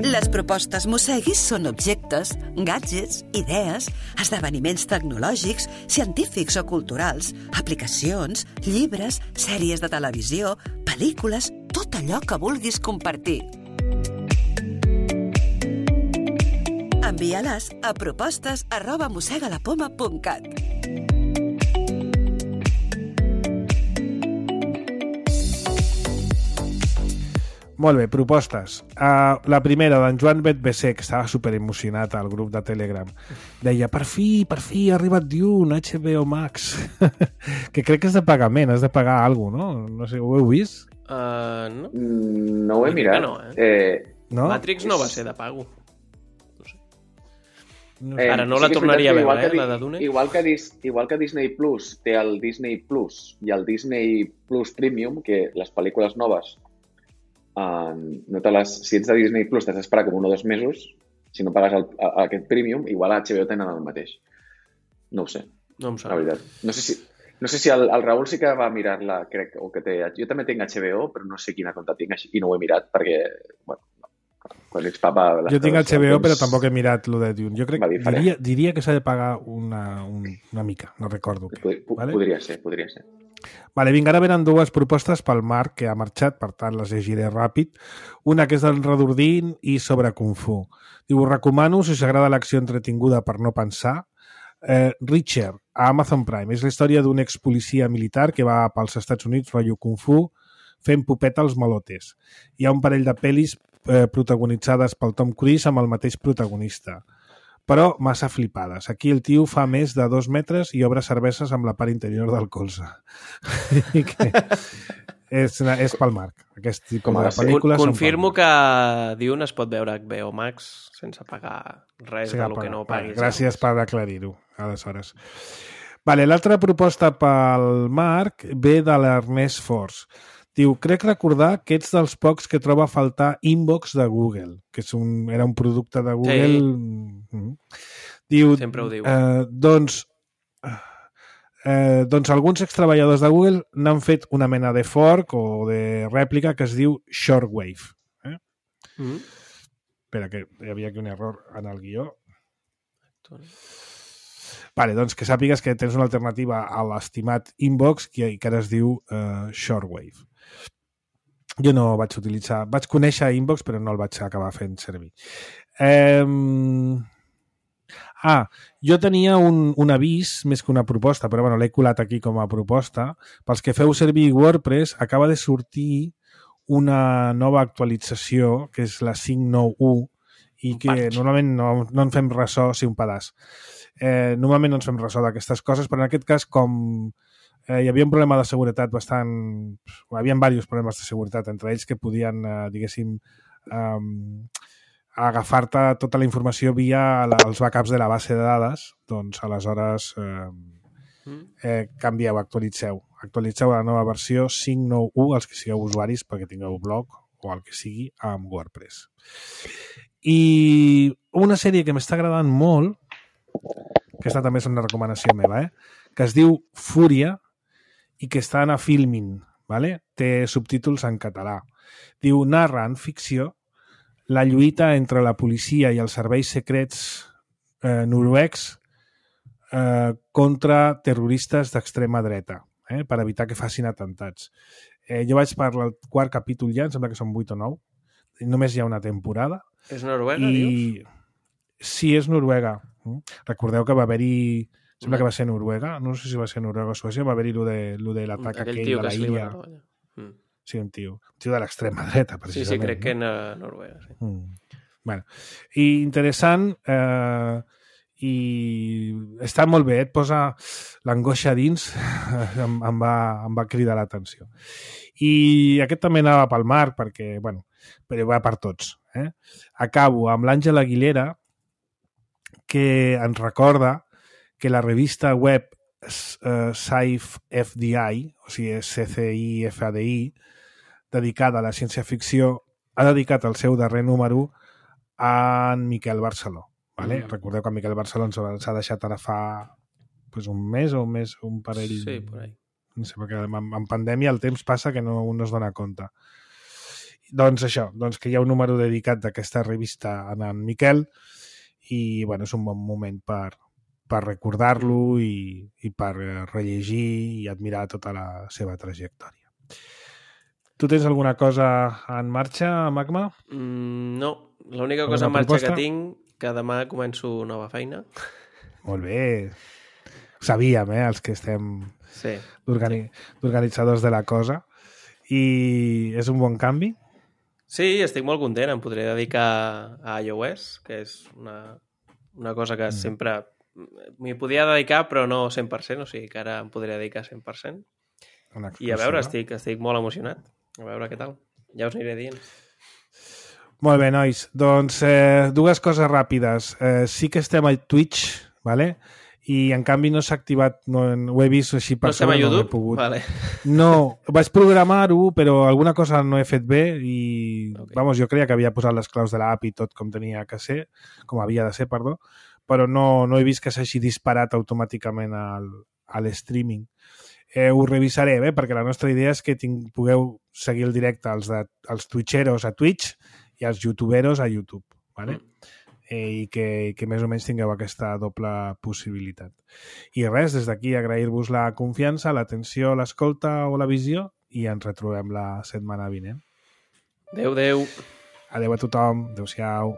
Les propostes mosseguis són objectes, gadgets, idees, esdeveniments tecnològics, científics o culturals, aplicacions, llibres, sèries de televisió, pel·lícules, tot allò que vulguis compartir. Envia-les a propostes@mossegalapoma.cat. Molt bé, propostes. La primera, d'en Joan Betbesé, que estava superemocionat al grup de Telegram. Deia, per fi, ha arribat Dune, HBO Max. Que crec que és de pagament, has de pagar alguna cosa, no? No sé, ho heu vist? No. No ho he mirat. No, no? Matrix no va ser de pago. No sé. Ara no la tornaria a veure, la de Dune. Igual que Disney Plus té el Disney Plus i el Disney Plus Premium, que les pel·lícules noves si ets de Disney Plus t'has d'esperar com 1 o 2 mesos, si no pagues aquest Premium, igual a HBO tenen el mateix. No ho sé. No em sap. La veritat. No sé si el Raül sí que va mirar-la, crec, o que té... Jo també tinc HBO, però no sé quina compte tinc i no ho he mirat perquè, bueno, quan ets papa... Jo tinc HBO, però tampoc he mirat lo de Dune. Jo crec que diria que s'ha de pagar una mica, no recordo. Vale? Podria ser. Vale, vinga, ara venen 2 propostes pel Marc, que ha marxat, per tant les llegiré ràpid. Una que és del Redordín i sobre Kung Fu. Diu, us recomano, si us agrada l'acció entretinguda per no pensar, Richard, a Amazon Prime. És la història d'un expolicia militar que va pels Estats Units, rotllo Kung Fu, fent popeta als malotes. Hi ha un parell de pel·lis protagonitzades pel Tom Cruise amb el mateix protagonista, però massa flipades. Aquí el tio fa més de 2 metres i obre cerveses amb la part interior del colze. és pel Marc. Aquest tipus de pel·lícules confirmo que Dune es pot veure a HBO Max sense pagar res del que no paguis. Gràcies per aclarir-ho, aleshores. Vale, l'altra proposta pel Marc ve de l'Ernest Force. Diu, crec recordar que ets dels pocs que troba a faltar Inbox de Google, que era un producte de Google... Sí. Diu, sempre ho diu. Doncs alguns extreballadors de Google n'han fet una mena de fork o de rèplica que es diu Shortwave. Espera, que hi havia aquí un error en el guió. Vale, doncs que sàpigues que tens una alternativa a l'estimat Inbox que ara es diu Shortwave. Jo no vaig utilitzar... Vaig conèixer Inbox, però no el vaig acabar fent servir. Jo tenia un avís, més que una proposta, però bueno, l'he colat aquí com a proposta. Pels que feu servir WordPress, acaba de sortir una nova actualització, que és la 5.9.1, i que normalment no en fem ressò, sí, un pedaç. Normalment no ens fem ressò d'aquestes coses, però en aquest cas, com hi havia un problema de seguretat bastant... Hi havia diversos problemes de seguretat, entre ells que podien, diguéssim, agafar-te tota la informació via els backups de la base de dades, doncs aleshores canvieu, actualitzeu la nova versió 5.9.1 els que sigueu usuaris perquè tingueu blog o el que sigui amb WordPress. I una sèrie que m'està agradant molt, que aquesta també és una recomanació meva, que es diu Fúria i que està a Filmin, ¿vale? Té subtítols en català. Diu, narra en ficció la lluita entre la policia i els serveis secrets noruecs contra terroristes d'extrema dreta, per evitar que facin atemptats. Jo vaig per el 4 capítol ja, em sembla que són 8 o 9, només hi ha una temporada. És Noruega, dius? Sí, és Noruega. Recordeu que va haver-hi... Sembla que va ser Noruega, no sé si va ser Noruega o Suècia, va haver-hi lo de l'atac aquell de la illa. Sí, un tio de l'extrema dreta, precisament. Sí, crec que en Noruega, sí. Bueno, i interessant, i està molt bé, et posa l'angoixa dins, em va cridar l'atenció. I aquest també anava pel Marc, perquè, bueno, però va per tots. Acabo amb l'Àngela Aguilera, que ens recorda que la revista web Sci-FDI, o sigui, CCI-FDI, dedicada a la ciència-ficció, ha dedicat el seu darrer número a en Miquel Barceló. Vale? Recordeu que en Miquel Barceló ens ha deixat ara fa un mes o un parell... Sí, por ahí. No sé, perquè en pandèmia el temps passa que un no es dona compte. Doncs això, que hi ha un número dedicat d'aquesta revista a en Miquel i bueno, és un bon moment per recordar-lo i per rellegir i admirar tota la seva trajectòria. Tu tens alguna cosa en marxa, Magma? No, l'única cosa en marxa que tinc, que demà començo nova feina. Molt bé. Ho sabíem, els que estem d'organitzadors de la cosa. I és un bon canvi? Sí, estic molt content. Em podré dedicar a iOS, que és una cosa que sempre m'hi podia dedicar, però no 100%, o sigui que ara em podré dedicar 100%. I a veure, estic molt emocionat. A veure què tal. Ja us aniré dient. Molt bé, nois. Doncs dues coses ràpides. Sí que estem a Twitch, ¿vale? I en canvi no s'ha activat, no ho he vist així per sobre, no he pogut. Vale. No, vaig programar-ho, però alguna cosa no he fet bé i, vamos, jo creia que havia posat les claus de l'app i tot com havia de ser, perdó, però no he vist que s'hagi disparat automàticament a l'streaming. Ho revisaré, perquè la nostra idea és que pugueu seguir el directe als twitcheros a Twitch i als youtuberos a YouTube, ¿vale? I que més o menys tingueu aquesta doble possibilitat. I res, des d'aquí agrair-vos la confiança, l'atenció, l'escolta o la visió i ens retrobem la setmana vinent. Adéu. Adéu a tothom. Adéu-siau.